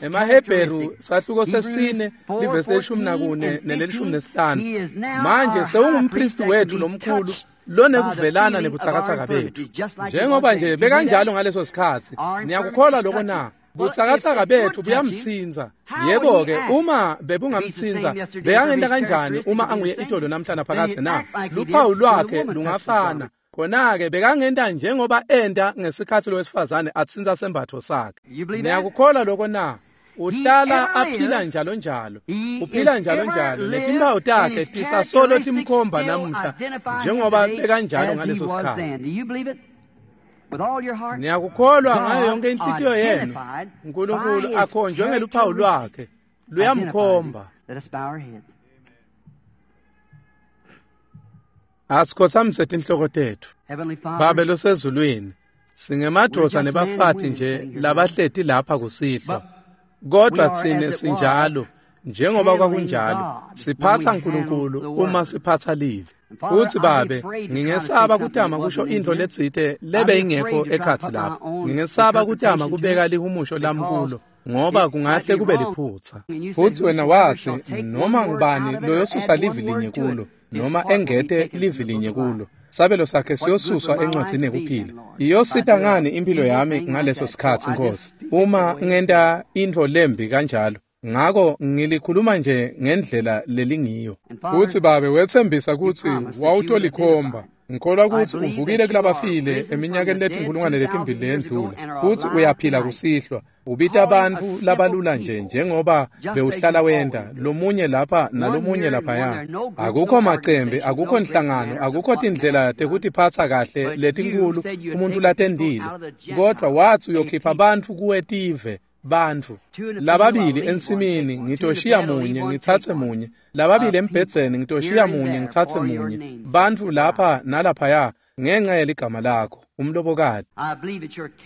EmaHebheru sahluko 4 livesi 14 ne-15. Manje sewungumpristi wethu lomkhulu lonekuvelana nebutsakatsaka bethu, njengoba nje bekanjalo ngaleso sikhatsi. Niyakukholwa lokho na? Butsakatsaka bethu buyamtsintsa. Yebo-ke, uma bebungamtsintsa, bekangenta kanjani uma anguye itolo namhla naphakadze na? Luphawu lwakhe lungafana. Khona-ke bekangenta njengoba enta ngesikhatsi lowesifazane atsintsa sembatfo sakhe. Niyakukholwa lokho na? Uhlala aphila njalo njalo, uphila njalo njalo, netimpawu takhe tisasolo timkhomba namuhla njengoba bekanjalo ngaleso sikhatsi. Niyakukholwa ngayo yonke inhlitiyo yenu? uNkulunkulu akhonjwe ngeluphawu lwakhe, luyamkhomba. Asikhothamise tinhloko tetfu. Babe losezulwini, singemadvodza nebafati nje labahleti lapha kusihlwa, kodwa tsine sinjalo njengoba kwakunjalo, siphatsa uNkulunkulu uma siphatsa livi. Futhi Babe, ngingesaba kutama kusho into letsite lebe ingekho ekhatsi lapha. Ngingesaba kutama kubeka lihumusho lami kulo, ngoba kungahle kube liphutsa. Futhi wena wathi noma ngubani loyosusa livi linye kulo, noma engete livi linye kulo, sabelo sakhe siyosuswa encwadzini yekuphila. Iyosita ngani impilo yami ngaleso sikhatsi, Nkosi, uma ngenta intfo lembi kanjalo? Ngako ngilikhuluma nje ngendlela lelingiyo. Futhi Babe, wethembisa kutsi wawutolikhomba. Ngikholwa kutsi uvukile kulabafile eminyakeni leti 2000 leyendlula, futsi uyaphila kusihlwa. Ubita bantfu labalula nje njengoba bewuhlala wenta, lomunye lapha nalomunye laphaya. Akukho macembe, akukho nhlangano, akukho tindlela tekutiphatsa kahle letinkulu umuntu latendile, kodwa wathi uyokhipha bantfu kuwetive. Bantfu lababili ensimini, ngitoshiya munye ngitsatse munye, lababili embhedzeni, ngitoshiya munye ngitsatse munye, bantfu lapha nalaphaya ngenxa yeligama lakho, umlobokati.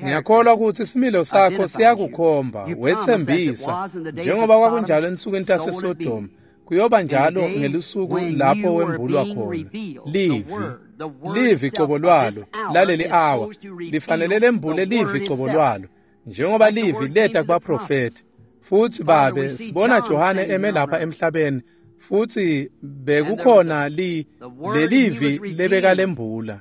Ngiyakholwa kutsi similo sakho siyakukhomba, wethembisa njengoba kwakunjalo ensukwini taseSodoma, kuyoba njalo ngelusuku lapho wembulwa khona. Livi, livi cobo lwalo laleli awa lifanele lembule livi cobo lwalo, njengoba livi leta kubaprofeti. Futhi Babe, sibona Johane eme lapha emhlabeni, futhi bekukhona lelivi lebekalembula.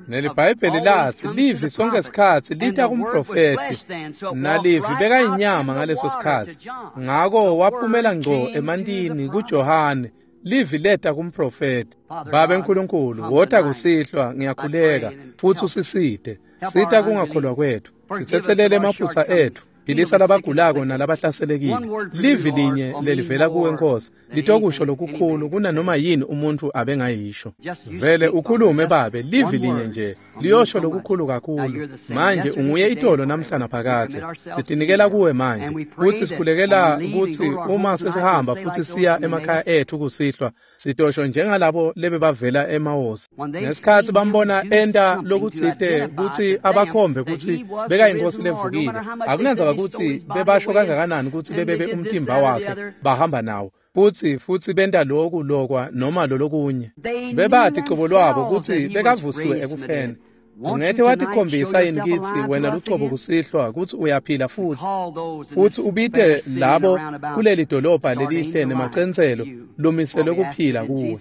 NeliBhayibheli lathi livi sonke sikhatsi lita kumprofeti, nalivi bekayinyama ngaleso sikhatsi. Ngako waphumela ngco emantini kuJohane. Livi leta kumprofeti. Babe nkulunkulu, wota kusihlwa, ngiyakhuleka, futhi usisite. Sita kungakholwa kwethu, sitsetselele emaphutsa etfu. Philisa labagulako nalabahlaselekile. Livi linye lelivela kuwe Nkosi litokusho lokukhulu kunanoma yini umuntu abengayisho. Vele ukhulume Babe, livi linye nje liyosho lokukhulu kakhulu. Manje unguye itolo namhla naphakadze. Sitinikela kuwe manje futhi sikhulekela kutsi uma sesihamba futhi siya emakhaya ethu kusihlwa, sitosho njengalabo lebebavela eMawosi. Ngesikhatsi bambona enta lokutsite kutsi abakhombe kutsi bekayinkosi levukile, akunandzaba kutsi bebasho kangakanani kutsi bebebe umtimba wakhe bahamba nawo, futhi benta loku lokwa noma lolokunye. Bebati cobo lwabo kutsi bekavusiwe ekufeni. Ungete watikhombisa yini kitsi wena lucobo kusihlwa kutsi uyaphila futhi, futhi ubite labo kuleli dolobha lelihle nemacentselo lumiselwe kuphila kuwe,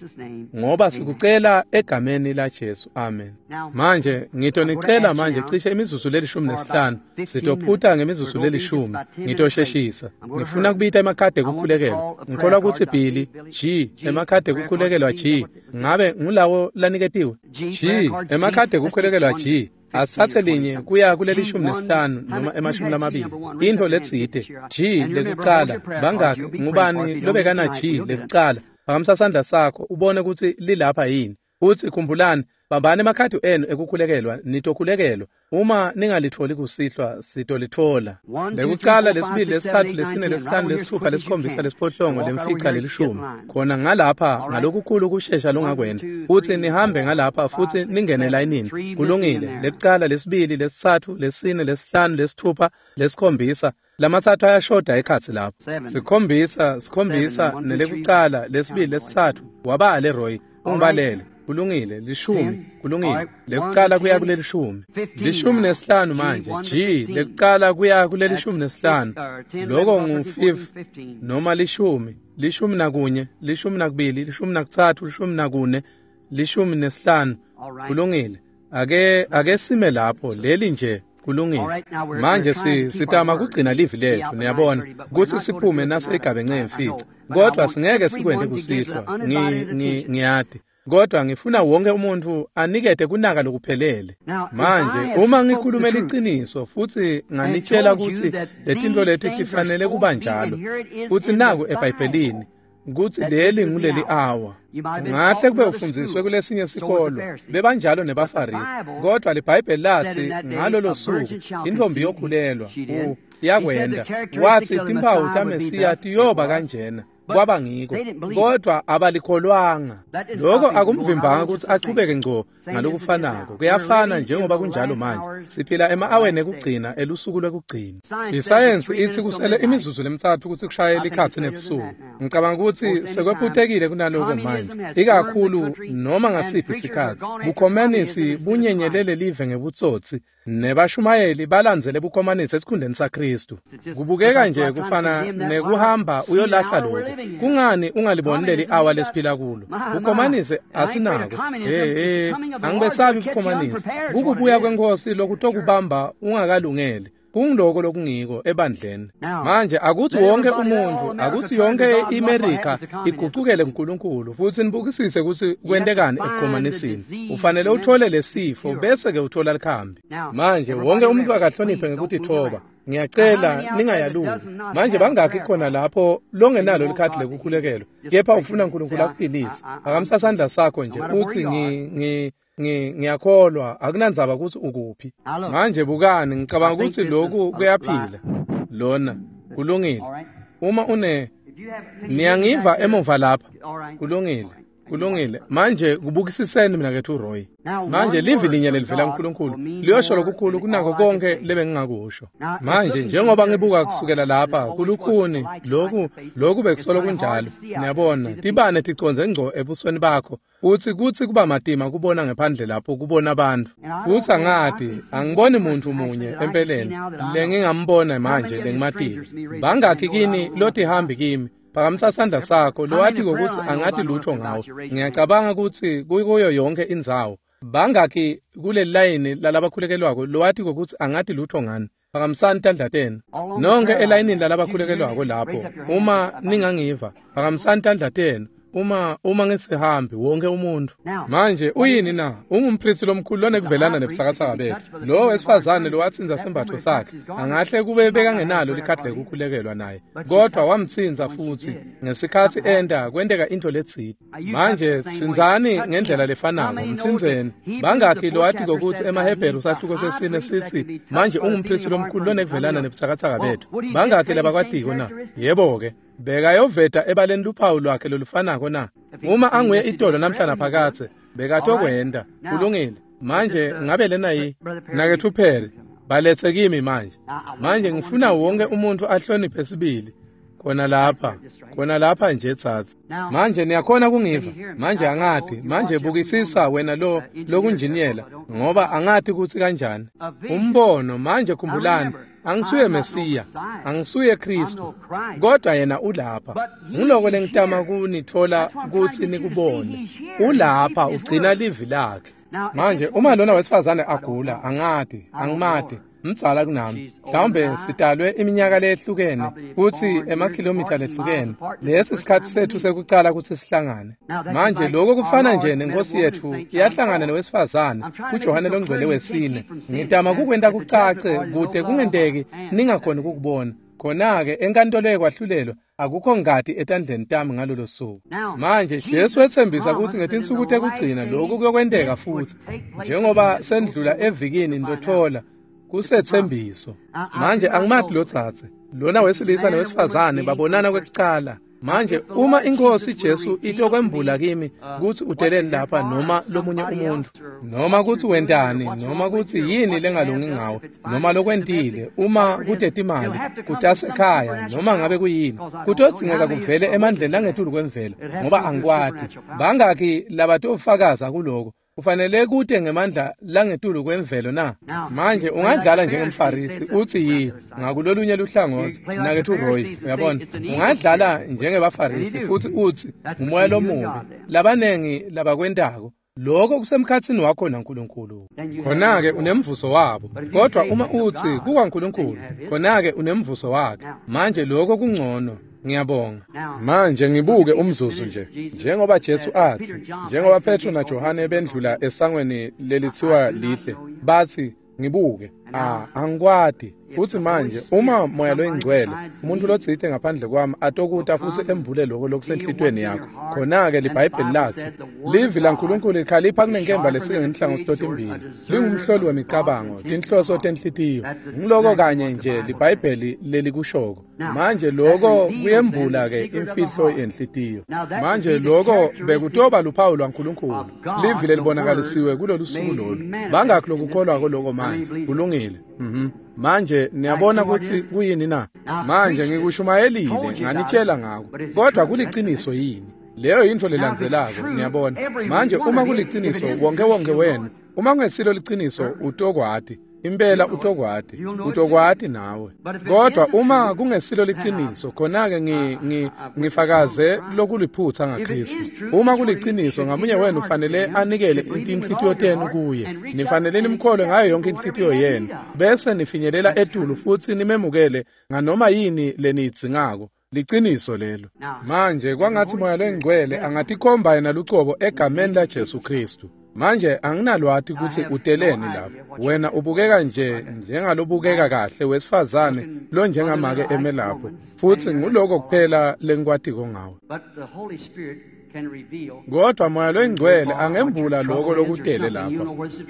ngoba sikucela egameni la Jesu, amen. Manje ngitonicela manje cishe imizuzu le15, sitophuta ngemizuzu le10, ngitosheshisa. Ngifuna kubita emakhadi ekukhulekelwa. Ngikholwa kutsi Billy G emakhadi ekukhulekelwa G, ngabe ngulawo laniketiwe? G emakhadi ekukhulekelwa G. Asathe linye kuya kuleli 15 noma ema-20. Into letsite G lekucala, bangaki ngubani lobekana G lekucala? Phakamisa sandla sakho ubone kutsi lilapha yini. Futsi khumbulani, bambani emakhadi enu ekukhulekelwa, nitokhulekelwa. Uma ningalitholi kusihlwa, sitolithola. Lekucala, lesibili, lesitsatfu, lesine, lesihlanu, lesitfupha, lesikhombisa, lesiphohlongo, lemfica, lelishumi. Khona ngalapha ngalokukhulu kushesha longakwenta. Futsi nihambe ngalapha futhi ningene layinini. Kulungile. Lekucala, lesibili, lesitsatfu, lesine, lesihlanu, lesitfupha, lesikhombisa. Lamatsatfu ayashoda ekhatsi lapho. Sikhombisa, sikhombisa, nelekucala, lesibili, lesitsatfu. Wabale Roy, ungibalele. Kulungile, 10, kulungile. Lekucala kuya kulelishumi. 15 manje. G lekucala kuya kuleli-15. Lokho ngu-5 noma 10, 11, 12, 13, 14, 15. Kulungile. Ake sime lapho leli nje. Kulungile. Manje sitama kugcina livi lethu, niyabona, kutsi siphume nase igabence 5. Kodwa singeke sikwente kusihlwa. Ngiyati. Kodwa ngifuna wonke umuntu anikete kunaka lokuphelele. Manje uma ngikhuluma liciniso futhi nganitshela kutsi letinto leti tifanele kuba njalo, futhi naku eBhayibhelini kutsi leli nguleli awa. Ngahle kube ufundziswe kulesinye sikolo, bebanjalo nebaFarisi. Kodwa liBhayibheli lathi ngalolo suku intombi yokhulelwa yakwenda. Wathi timpawu taMesiya tiyoba kanjena. Kwaba ngiko, kodwa abalikholwanga. Lokho akumvimbanga kutsi achubeke ngco ngalokufanako. Kuyafana njengoba kunjalo manje. Siphila ema-aweni ekugcina elusuku lwekugcina. Isayensi itsi kusele imizuzu le3 kutsi kushaye likhatsi nebusuku. Ngicabanga kutsi sekwephutekile kunaloko manje, ikakhulu noma ngasiphi sikhatsi. Bukhomanisi bunyenyelele live ngebutsotsi, nebashumayeli balandzele bukhomanisi esikhundleni saKristu. Kubukeka nje kufana nekuhamba uyolahla lokho. Kungani ungaliboni leli awa lesiphila kulo? Bukhomanisi asinako. Angibesabi bukhomanisi. Kukubuya kwenkosi lokutokubamba ungakalungeli. Kungiloko lokungiko ebandleni. Manje akuthi wonke umuntu, akuthi yonke iMerika igucukele kuNkulunkulu futhi nibukisise kutsi kwentekani ebukhomanisini. Ufanele uthole lesifo bese ke uthola likhambi. Manje wonke umuntu akahloniphe ngekutithoba. Ngiyacela ningayaluki. Manje bangakhi khona lapho longenalo likhadi lekukhulekelwa, kepha ufuna uNkulunkulu akuphilise? Phakamisa sandla sakho nje uthi ngiyakholwa, akunandzaba kutsi ukuphi. Manje bukani, ngicabanga kutsi lokhu kuyaphila. Lona kulungile. Uma une niyangiva emuva lapha. Kulungile. Kulungile. Manje kubukisiseni mina kethu Roy. Manje livi linye lelivela kuNkulunkulu liyosho lokukhulu kunako konke lebengingakusho. Manje njengoba ngibuka kusukela lapha kulukhuni lokhu bekusolo kunjalo. Niyabona, tibane ticondze ngco ebusweni bakho. Uthi kutsi kuba matima kubona ngephandle lapho kubona abantu. Futhi angati, angiboni muntu munye empeleni lengingambona manje lengimatile. Bangakhi kini lotihambi kimi? Phakamisa sandla sakho lowati ukuthi angati lutho ngawe. Ngiyacabanga ukuthi kuyo yonke indzawo. Bangakhi kuleli layini lalabakhulekelwako lowati ukuthi angati lutho ngani? Phakamisani tandla tenu. Nonke elayinini lalabakhulekelwako lapho, uma ningangiva, phakamisani tandla tenu. uma ngisihambi wonke umuntu. Manje uyini na? Ungumpristi lomkhulu lonekuvelana nebutsakatsaka bethu. Lo wesifazane lo watsinza sembatho sakhe angahle kube bekangenalo likhadi lekukhulekelwa naye, kodwa wamtsinza futhi ngesikhathi enda kwenteka into letsite. Manje tsinzani ngendlela lefanako, mtsinzeni. Bangakhi lo wathi kokuthi emaHebheru sahluko sesine sithi manje ungumpristi lomkhulu lonekuvelana nebutsakatsaka bethu. Bangakhi labakwatiko na? Yebo-ke, bekayoveta ebaleni luphawu lwakhe lolufanako na? Uma anguye itolo namhla naphakathe, bekatokwenda. Kulungile. Manje ngabe lena yi nakethu phela balethe kimi manje. Manje ngifuna wonke umuntu ahloniphe sibili khona lapha nje tsatsi. Manje niyakhona kungiva? Manje angati. Manje bukisisa wena lo lokunjiniyela, ngoba angati kutsi kanjani. Umbono manje, khumbulani, angisuye Mesiya, angisuye Kristu, kodwa yena ulapha. Ngiloko lengitama kunithola kutsi nikubone. Ulapha, ugcina livi lakhe. Manje uma lona wesifazane agula, angati, angimati, mdzala kunami, mhlawumbe sidalwe iminyaka lehlukene kutsi emakhilomitha lehlukene. Lesi sikhathi sethu sekucala kutsi sihlangane. Manje lokho kufana nje nenkosi yethu iyahlangana nowesifazane kuJohane longcwele wesine. Ngitama kukwenta kucace kude kungenteki ningakhoni ukukubona. Khona-ke enkantolo yekwahlulelwa akukho ngati etandleni tami ngalolo suku. Manje Jesu wetsembisa kutsi ngetinsuku tekugcina lokhu kuyokwenteka futhi. Njengoba sendlula evikini ndothola kusetsembiso. Manje angimati lo tsatse. Lona wesilisa nowesifazane babonana kwekucala. Manje uma inkosi Jesu itokwembula kimi kutsi uteleni lapha noma lomunye umuntu, noma kutsi wentani, noma kutsi yini lengalungi ngawe, noma lokwentile, uma kutetimali, kutasekhaya, noma ngabe kuyini, kutodzingeka kuvele emandleni langetulu kwemvelo, ngoba angikwati. Bangakhi labatofakaza kuloko? Kufanele kute ngemandla langetulu kwemvelo na? Manje ungadlala njengemfarisi uthi yi ngakulolunye luhlangothi nakethu Roy, uyabona, ungadlala njengebafarisi futhi uthi umoya lomubi. Labanengi labakwentako lokho kusemkhatsini wakho naNkulunkulu. Khona-ke unemvuzo wabo. Kodwa uma uthi kukwaNkulunkulu, khona-ke unemvuzo wakhe. Manje lokho kungcono. Ngiyabonga. Manje ngibuke umzuzu nje. Njengoba Jesu athi, njengoba Petro naJohane bendlula esangweni lelithiwa lihle, bathi ngibuke, angikwati. Futhi manje uma moya loyingcwele, umuntu lotsite ngaphandle kwami atokuta futhi embule lokho lokusenhlitweni yakho. Khona-ke liBhayibheli lathi, livi laNkulunkulu likhalipha kunenkemba lesike ngenhlangothi totimbili, lingumhloli wemicabango, tinhloso tenhlitiyo. Ngiloko kanye nje liBhayibheli lelikushoko. Manje lokho kuyembula-ke imfihlo yenhlitiyo. Manje lokho bekutoba luphawu lwaNkulunkulu, livi lelibonakalisiwe kulolu suku lolu. Bangakhi lokukholwako lokho manje? Kulungile. Manje niyabona ukuthi kuyini na? Manje ngikushumayelile, nganitshela ngako, kodwa kuliciniso yini? Leyo yinto lelandzelako, niyabona. Manje uma kuliciniso, wonke wonke wenu, uma kungesilo liciniso, utokwati. Impela utokwati, utokwati nawe. Kodwa uma kungesilo liciniso, khona-ke ngifakaze lokuliphutha ngaKristu. Uma kuliciniso, ngamunye wenu ufanele anikele inhlitiyo tenu kuye. Nifanele nimkholwe ngayo yonke inhlitiyo yenu, bese nifinyelela etulu futhi nimemukele nganoma yini leniyidzingako. Liciniso lelo. Manje kwangathi moya loyingcwele angatikhomba yena lucobo egameni laJesu Kristu. Manje anginalwati kutsi uteleni lapho. Wena ubukeka nje njengalobukeka kahle wesifazane lo njengamake eme lapho, futhi nguloko kuphela lengikwatiko ngawe. Kodwa moya loyingcwele angembula lokho lokutele lapha,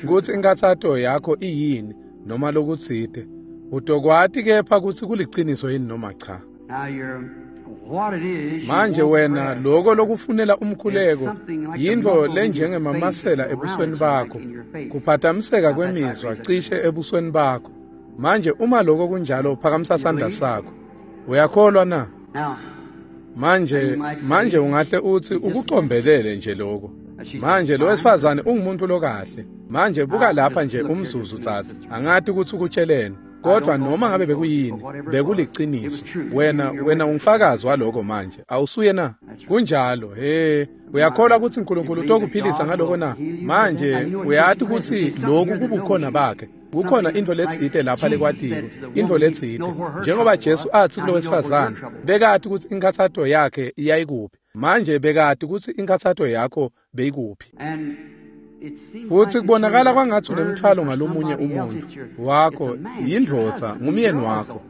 kutsi inkathato yakho iyini noma lokutsite. Utokwati kepha kutsi kuliciniso yini noma cha. Manje wena lokho lokufunela umkhuleko yintfo lenjengemamasela ebusweni bakho, kuphatamiseka kwemizwa cishe ebusweni bakho. Manje uma lokho kunjalo, phakamisa sandla sakho. Uyakholwa na? Manje ungahle uthi ukucombelele nje lokho. Manje lo wesifazane ungumuntu lokahle. Manje buka lapha nje umzuzu tsatsi. Angati ukuthi ukutsheleni, kodwa noma ngabe bekuyini, bekuliciniso. Wena ungufakazi waloko manje, awusuye na? Kunjalo. He, uyakholwa ukuthi uNkulunkulu utokuphilisa ngaloko na? Manje uyati ukuthi lokhu kubukhona bakhe. Kukhona into letsite lapha lekwatiko, into letsite. Njengoba Jesu athi kulo wesifazane, bekati ukuthi inkathato yakhe iyayikuphi. Manje bekati kutsi inkhatsato yakho beyikuphi. Futsi kubonakala kwangatsi unemthwalo ngalomunye umuntfu wakho, yindvodza, ngumyeni wakho.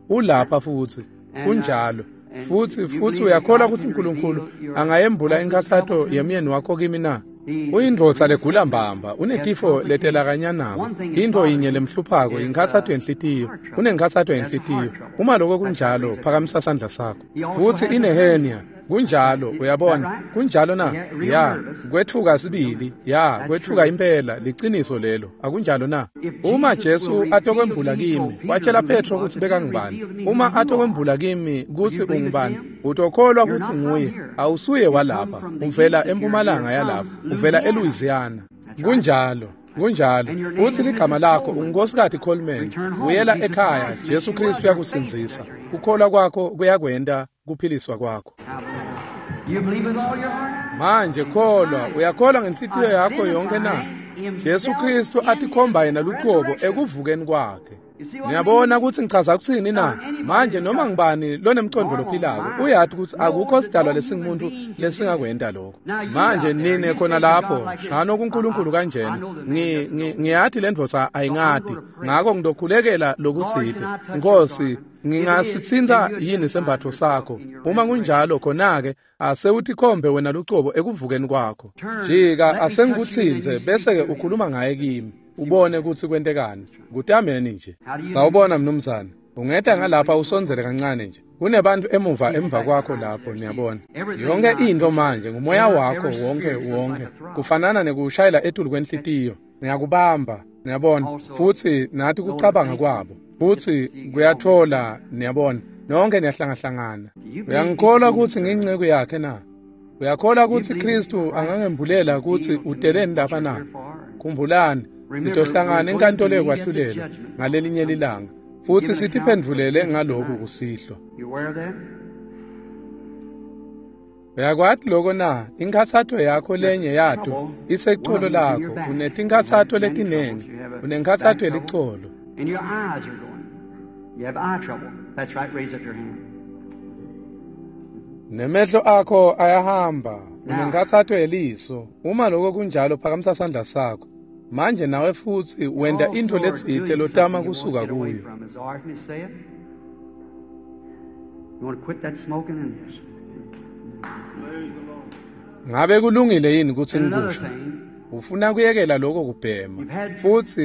Ulapha futsi, kunjalo. Futsi uyakholwa kutsi uNkulunkulu angayembula inkhatsato yemyeni wakho kimi na? Uyindvodza legula mbamba, unetifo letelakanyanako. Intfo yinye lemhluphako inkhatsato yenhlitiyo. Unenkhatsato yenhlitiyo. Uma lokho kunjalo, phakamisa sandla sakho. Futsi inehenia. Kunjalo, uyabona. Kunjalo na? Ya, kwetfuka sibili. Ya, kwetfuka impela, liciniso lelo. Akunjalo na? Uma Jesu atokwembula kimi, watshela Petro kutsi bekangubani. Uma atokwembula kimi kutsi ungubani, utokholwa kutsi nguye. Awusuye walapha, uvela empumalanga yalapha, uvela eLouisiana. Kunjalo. Kunjalo. Uthi ligama lakho unguNkosikazi Coleman. Buyela ekhaya, Jesu Kristu uyakusindzisa. Kukholwa kwakho kuyakwenta kuphiliswa kwakho. Manje kholwa, uyakholwa ngenhlitiyo yakho yonke na? Jesu Kristu atikhomba yena luqobo ekuvukeni kwakhe. Niyabona kutsi ngichaza kutsini na? Manje noma ngibani lonemcondvo lophilako uyati kutsi akukho sidalwa lesingumuntu lesingakwenta lokho. Manje nine khona lapho, shano kuNkulunkulu kanjena. Ngiyati le ndvodza ayingati, ngako ngidokhulekela lokutsite. Nkosi, ngingasitsintsa yini sembatfo sakho? Uma kunjalo khona-ke asewutikhombe wena lucobo ekuvukeni kwakho. Jika asengikutsintse bese-ke ukhuluma ngaye kimi. Ubone kutsi kwentekani. Kutameni nje. Sawubona mnumzane. Ungeta ngalapha usondzele kancane nje. Kunebantu emuva kwakho lapho, niyabona. Yonke into manje ngumoya wakho wonke. Kufanana nekushayela etulu kwenhlitiyo. Ngiyakubamba, niyabona. Futsi nathi kucabanga kwabo. Futsi kuyathola, niyabona. Nonke niyahlangahlangana. Uyangikholwa kutsi ngiyinceku yakhe na? Uyakholwa kutsi Kristu angangembulela kutsi uteleni lapha na? Khumbulani, sitohlangana enkantolo yokwahlulela ngalelinye lilanga, futsi sitiphendvulele ngaloku kusihlwa. Uyakwati loko na? Inkhatsato yakho lenye yato isecolo lakho. Unetinkhatsato letinengi, unenkhatsato yelicolo. Nemehlo akho ayahamba, unenkhatsato yeliso. Uma lokho kunjalo, phakamisa sandla sakho. Manje nawe futsi wenta intfo letsite lotama kusuka kuyo. Ngabe kulungile yini kutsi ngikusho? Ufuna kuyekela lokho kubhema.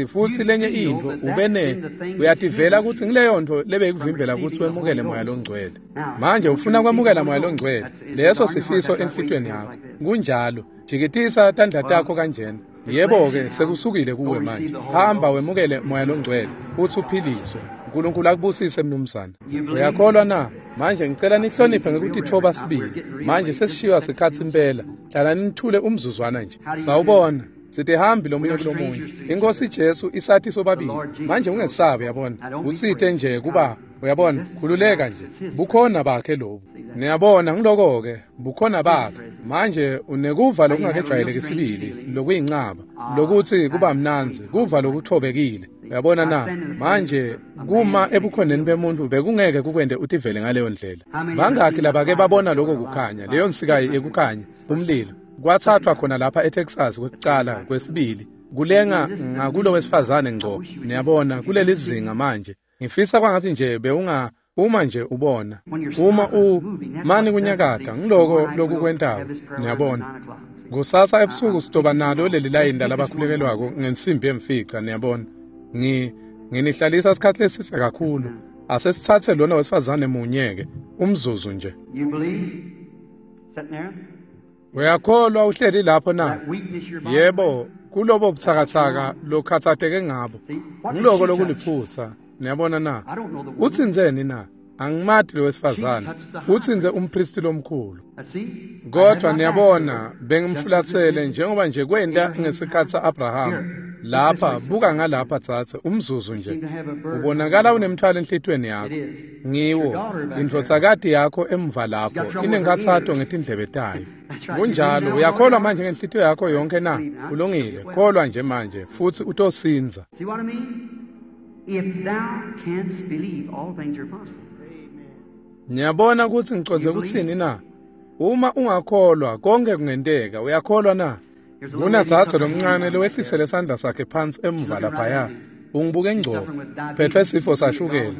Futsi lenye intfo ubene uyativela kutsi ngileyo ntfo lebeyikuvimbela kutsi wemukele moya longcwele. Manje ufuna kwemukela moya longcwele. Leso sifiso enhlitiyweni yakho. Kunjalo. Jikitisa tandla takho kanjena. Yebo-ke sekusukile kuwe manje. Hamba wemukele moya longcwele uthi uphiliswe. uNkulunkulu akubusise mnumzane. Uyakholwa na? Manje ngicela nihloniphe ngekutitfoba sibili. Manje sesishiywa sikhatsi impela. Hlala nithule umzuzwana nje. Sawubona. Sitihambi lomunye kulomunye. Inkosi Jesu isathi sobabili. Manje ungesabi, uyabona. Utsite nje kuba, uyabona, khululeka nje. Bukhona bakhe lobu. Niyabona ngiloko-ke, bukhona bakhe. Manje unekuva lokungakejwayeleki sibili, lokuyincaba, lokuthi kuba mnandzi, kuva lokuthobekile. Uyabona na? Manje kuma ebukhoneni bemuntu bekungeke kukwente utivele ngaleyo ndlela. Bangakhi labake babona lokho kukhanya, leyo nsika yekukhanya, umlilo. Kwathathwa khona lapha eTexas kwekucala, kwesibili, kulenga ngakulo wesifazane ngco. Niyabona kuleli zinga manje. Ngifisa kwangathi nje bewunga uma nje ubona uma mani kunyakata ngiloko lokukwentako. Niyabona kusasa ebusuku sitoba nalo leli layini labakhulekelwako ngensimbi yemfica. Niyabona nginihlalisa isikhathi lesise kakhulu. Asesithathe lona wesifazane munye-ke umzuzu nje. Uyakholwa uhleli lapho na? Yebo, kulobo butsakatsaka lokhathatheke ngabo. Ngiloko lokuliphutsa. Niyabona na? Utsinzeni na? Angimati lo wesifazane. Utsinze umpristi lomkhulu. Kodwa niyabona bengimfulatsele njengoba nje kwenta ngesikhatsi sa-Abraham. Lapha buka ngalapha tsatse umzuzu nje. Ubonakala unemthwalo enhlitiyweni yakho. Ngiwo indvodzakati yakho emva lapho inenkhatsato ngetindlebe tayo. Kunjalo, uyakholwa manje ngenhlitiyo yakho yonke na? Kulungile, kholwa nje manje futsi utosindza. If thou canst believe, all things are possible. Niyabona kutsi ngicondze kutsini na? Uma ungakholwa konke kungenteka. Uyakholwa na? Kunatsatsa lomncane lowehlisele sandla sakhe phansi emuva laphaya. Ungibuke ngco. Phethwe sifo sashukela.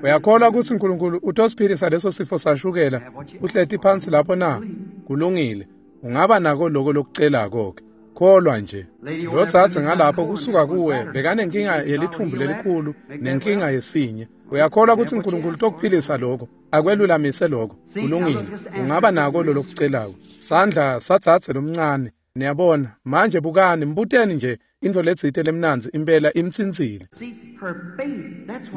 Uyakholwa ukuthi uNkulunkulu utosiphilisa leso sifo sashukela uhleti phansi lapho na? Kulungile. Ungaba nako lokho lokucelako ke. Kholwa nje. Lotsatse ngalapho kusuka kuwe bekanenkinga yelithumbu lelikhulu nenkinga yesinye. Uyakholwa ukuthi uNkulunkulu utokuphilisa lokho, akwelulamise lokho. Kulungile. Ungaba nako lolokucelako. Sandla satsatse lomncane. Niyabona, manje bukani, mbuteni nje into letsite lemnandzi impela imtsintsile.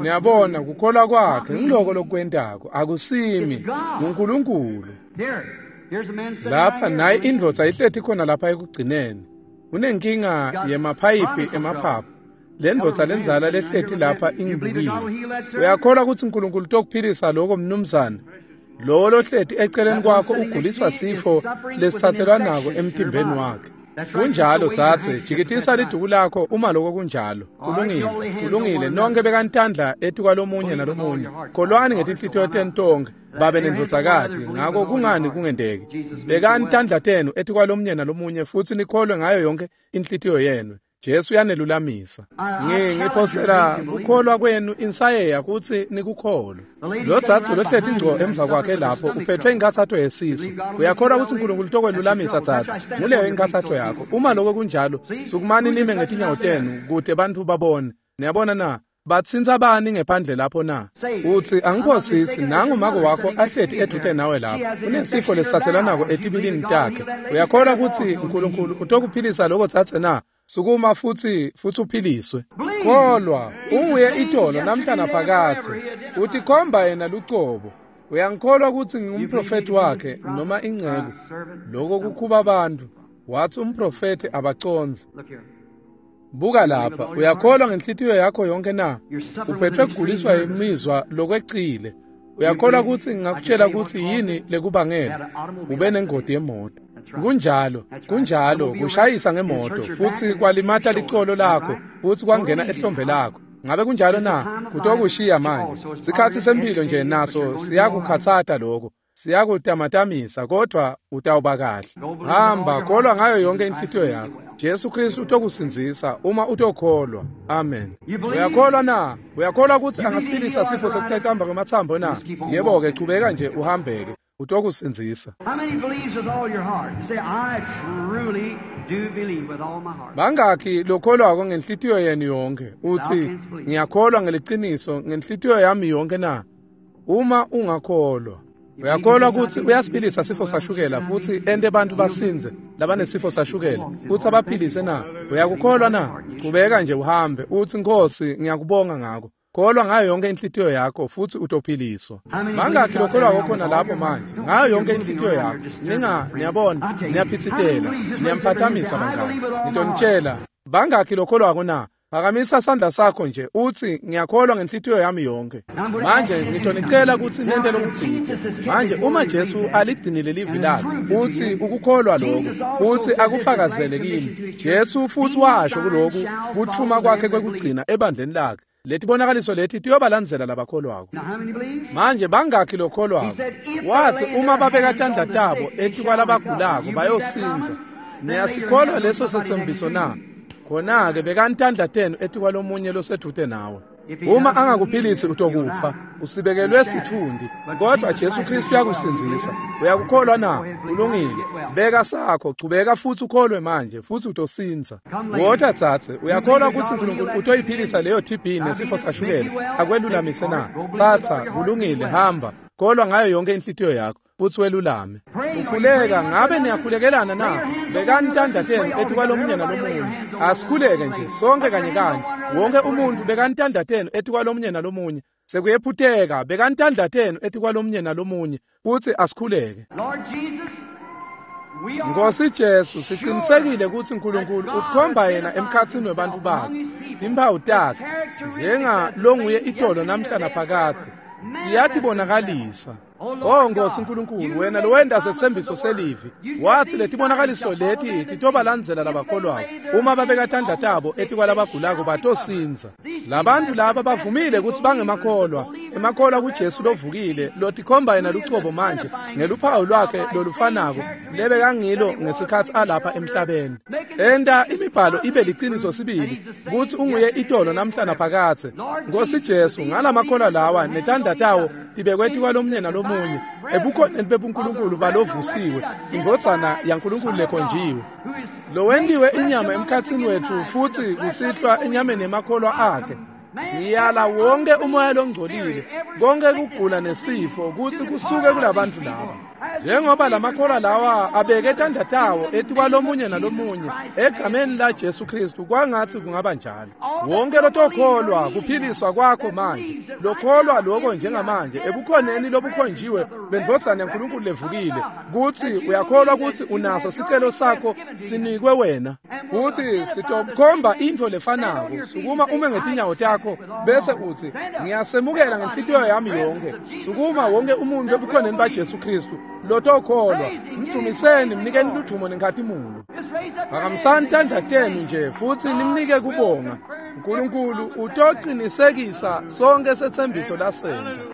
Niyabona, kukholwa kwakhe ngiloko lokwentako, akusimi, nguNkulunkulu. Lapha nayi indvodza ihleti khona lapha ekugcineni. Unenkinga yemaphayiphi emaphaphu. Le ndvodza lenzala lehleti lapha ingibukile. Uyakholwa ukuthi uNkulunkulu utokuphilisa lokho mnumzane? Lowo lohleti eceleni kwakho uguliswa sifo lesitsatselwanako emtimbeni wakhe. Kunjalo dzadze, jikitisa liduku lakho uma lokho kunjalo. Kulungile, kulungile. Nonke bekantandla etikwalomunye nalomunye. Kholwani ngetinhlitiyo tenu tonkhe, babe nendvodzakati, ngako kungani kungenteki? Bekani tandla tenu etikwalomunye nalomunye futsi nikholwe ngayo yonke inhlitiyo yenu. Jesu uyanelulamisa. Ngiphosela kukholwa kwenu insayeya kutsi nikukholwe. Lo dzadze lohleti ngco emva kwakhe lapho uphethwe inkhatsato yesisu. Uyakholwa kutsi uNkulunkulu utokwelulamisa dzadze? Nguleyo inkhatsato yakho. Uma lokho kunjalo, sukumani nime ngetinyawo tenu kute bantfu babone. Niyabona na? Batsintsa bani ngephandle lapho na? Utsi angiphosisi, nangu make wakho ahleti edvute nawe lapho. Unesifo lesitsatselanako etibilini takhe. Uyakholwa kutsi uNkulunkulu utokuphilisa lokho dzadze na? Sukuma futsi uphiliswe. Kholwa, unguye itolo namhla naphakadze. Utikhomba yena lucobo. Uyangikholwa kutsi ngingumprofeti wakhe noma inceku? Lokho kukhuba abantu. Wathi umprofeti abacondzi. Buka lapha, uyakholwa ngenhlitiyo yakho yonke na? Uphethwe kuguliswa imizwa lokwecile. Uyakholwa kutsi ngingakutshela kutsi yini lekubangela? Ube nengoti yemoto. Kunjalo, kunjalo, kushayisa ngemoto futsi kwalimata licolo lakho futsi kwangena ehlombe lakho. Ngabe kunjalo na? Kutokushiya manje. Sikhatsi sempilo nje naso siyakukhatsata lokho. Siyakutamatamisa kodwa utawuba kahle. Hamba, kholwa ngayo yonke inhlitiyo yakho. Jesu Kristu utokusindzisa uma utokholwa. Amen. Uyakholwa na? Uyakholwa kutsi angasiphilisa sifo sekucacamba kwematsambo na? Yebo-ke, chubeka nje uhambeke. Utokusindzisa. Bangakhi lokholwako ngenhlitiyo yenu yonke? Uthi ngiyakholwa ngeliciniso ngenhlitiyo yami yonke na? Uma ungakholwa. Uyakholwa kutsi uyasiphilisa sifo sashukela futsi ente bantfu basindze labanesifo sashukela futsi abaphilise na? Uyakukholwa na? Chubeka nje uhambe utsi Nkosi ngiyakubonga ngako. Kholwa ngayo yonke inhlitiyo yakho futsi utophiliswa. Bangakhi lokholwako khona lapho manje ngayo yonke inhlitiyo yakho? Niyabona, niyaphitsitela, niyamphathamisa bangani. Ngitonitshela, bangakhi lokholwako na? Phakamisa sandla sakho nje utsi ngiyakholwa ngenhlitiyo yami yonke. Manje ngitonicela kutsi nente lokutsite. Manje uma Jesu aligcinile livi lakhe, utsi ukukholwa lokho, utsi akufakazele kimi. Jesu futsi washo kuloku kuthuma kwakhe kwekugcina ebandleni lakhe. Letibonakaliso leti tiyobalandzela labakholwako. Manje bangakhi lokholwako? Wathi uma babeka tandla tabo etikwalabagulako bayosindza. Niyasikholwa leso setsembiso na? Khona-ke bekani tandla tenu etikwalomunye losedvute nawe. Uma angakuphilisi utokufa, usibekelwe sitfundi, kodwa Jesu Kristu uyakusindzisa. Uyakukholwa na? Kulungile. Beka sakho, chubeka futsi ukholwe manje futsi utosindza. Wota tsatse, uyakholwa kutsi uNkulunkulu utoyiphilisa leyo TB nesifo sashukela akwelulamise na? Tsatsa, kulungile, hamba. Kholwa ngayo yonke inhlitiyo yakho futsi welulame. Ukhuleka, ngabe niyakhulekelana na? Bekani tandla tenu etikwalomunye nalomunye. Asikhuleke nje sonke kanye kanye. Wonke umuntu bekani tandla tenu etikwalomunye nalomunye. Sekuyephuteka, bekani tandla tenu etikwalomunye nalomunye futsi asikhuleke. Nkosi Jesu, siqinisekile kutsi uNkulunkulu utikhomba yena emkhatsini webantfu bakhe. Timphawu takhe njenga longuye itolo namhla naphakadze tiyatibonakalisa. O Nkosi Nkulunkulu, wena lowenta setsembiso selivi, wathi letibonakaliso leti titobalandzela labakholwako. Uma babeka tandla tabo etikwalabagulako batosindza. Labantu laba bavumile kutsi bangemakholwa, emakholwa kuJesu lovukile, lotikhomba yena lucobo manje ngeluphawu lwakhe lolufanako lebekangilo ngesikhatsi alapha emhlabeni. Enta imibhalo ibe liciniso sibili kutsi unguye itolo namhla naphakadze. Nkosi Jesu, ngalamakholwa lawa netandla tawo tibekwe etikwalomunye nalomunye ebukhoneni bebuNkulunkulu balovusiwe, indvodzana yaNkulunkulu lekhonjiwe, lowentiwe inyama emkhatsini wetfu futsi kusihlwa enyameni yemakholwa akhe. Ngiyala wonke umoya longcolile, konke kugula nesifo kutsi kusuke kulabantu laba. Njengoba lamakholwa lawa abeke tandla tawo etikwalomunye nalomunye egameni la Jesu Kristu, kwangatsi kungaba njalo. Wonke lotokholwa kuphiliswa kwakho manje, lokholwa lokho njengamanje ebukhoneni lobukhonjiwe bendvodzana yaNkulunkulu levukile, kutsi uyakholwa kutsi unaso sicelo sakho sinikwe wena, kutsi sitokukhomba intfo lefanako. Sukuma ume ngetinyawo takho bese utsi, ngiyasemukela ngenhlitiyo yami yonke. Sukuma wonke umuntu ebukhoneni baJesu Kristu lotokholwa, mdvumiseni, mnikeni ludvumo nenkhatimulo. Phakamisani tandla tenu nje futsi nimnike kubonga. Nkulunkulu utocinisekisa sonke setsembiso lasenta.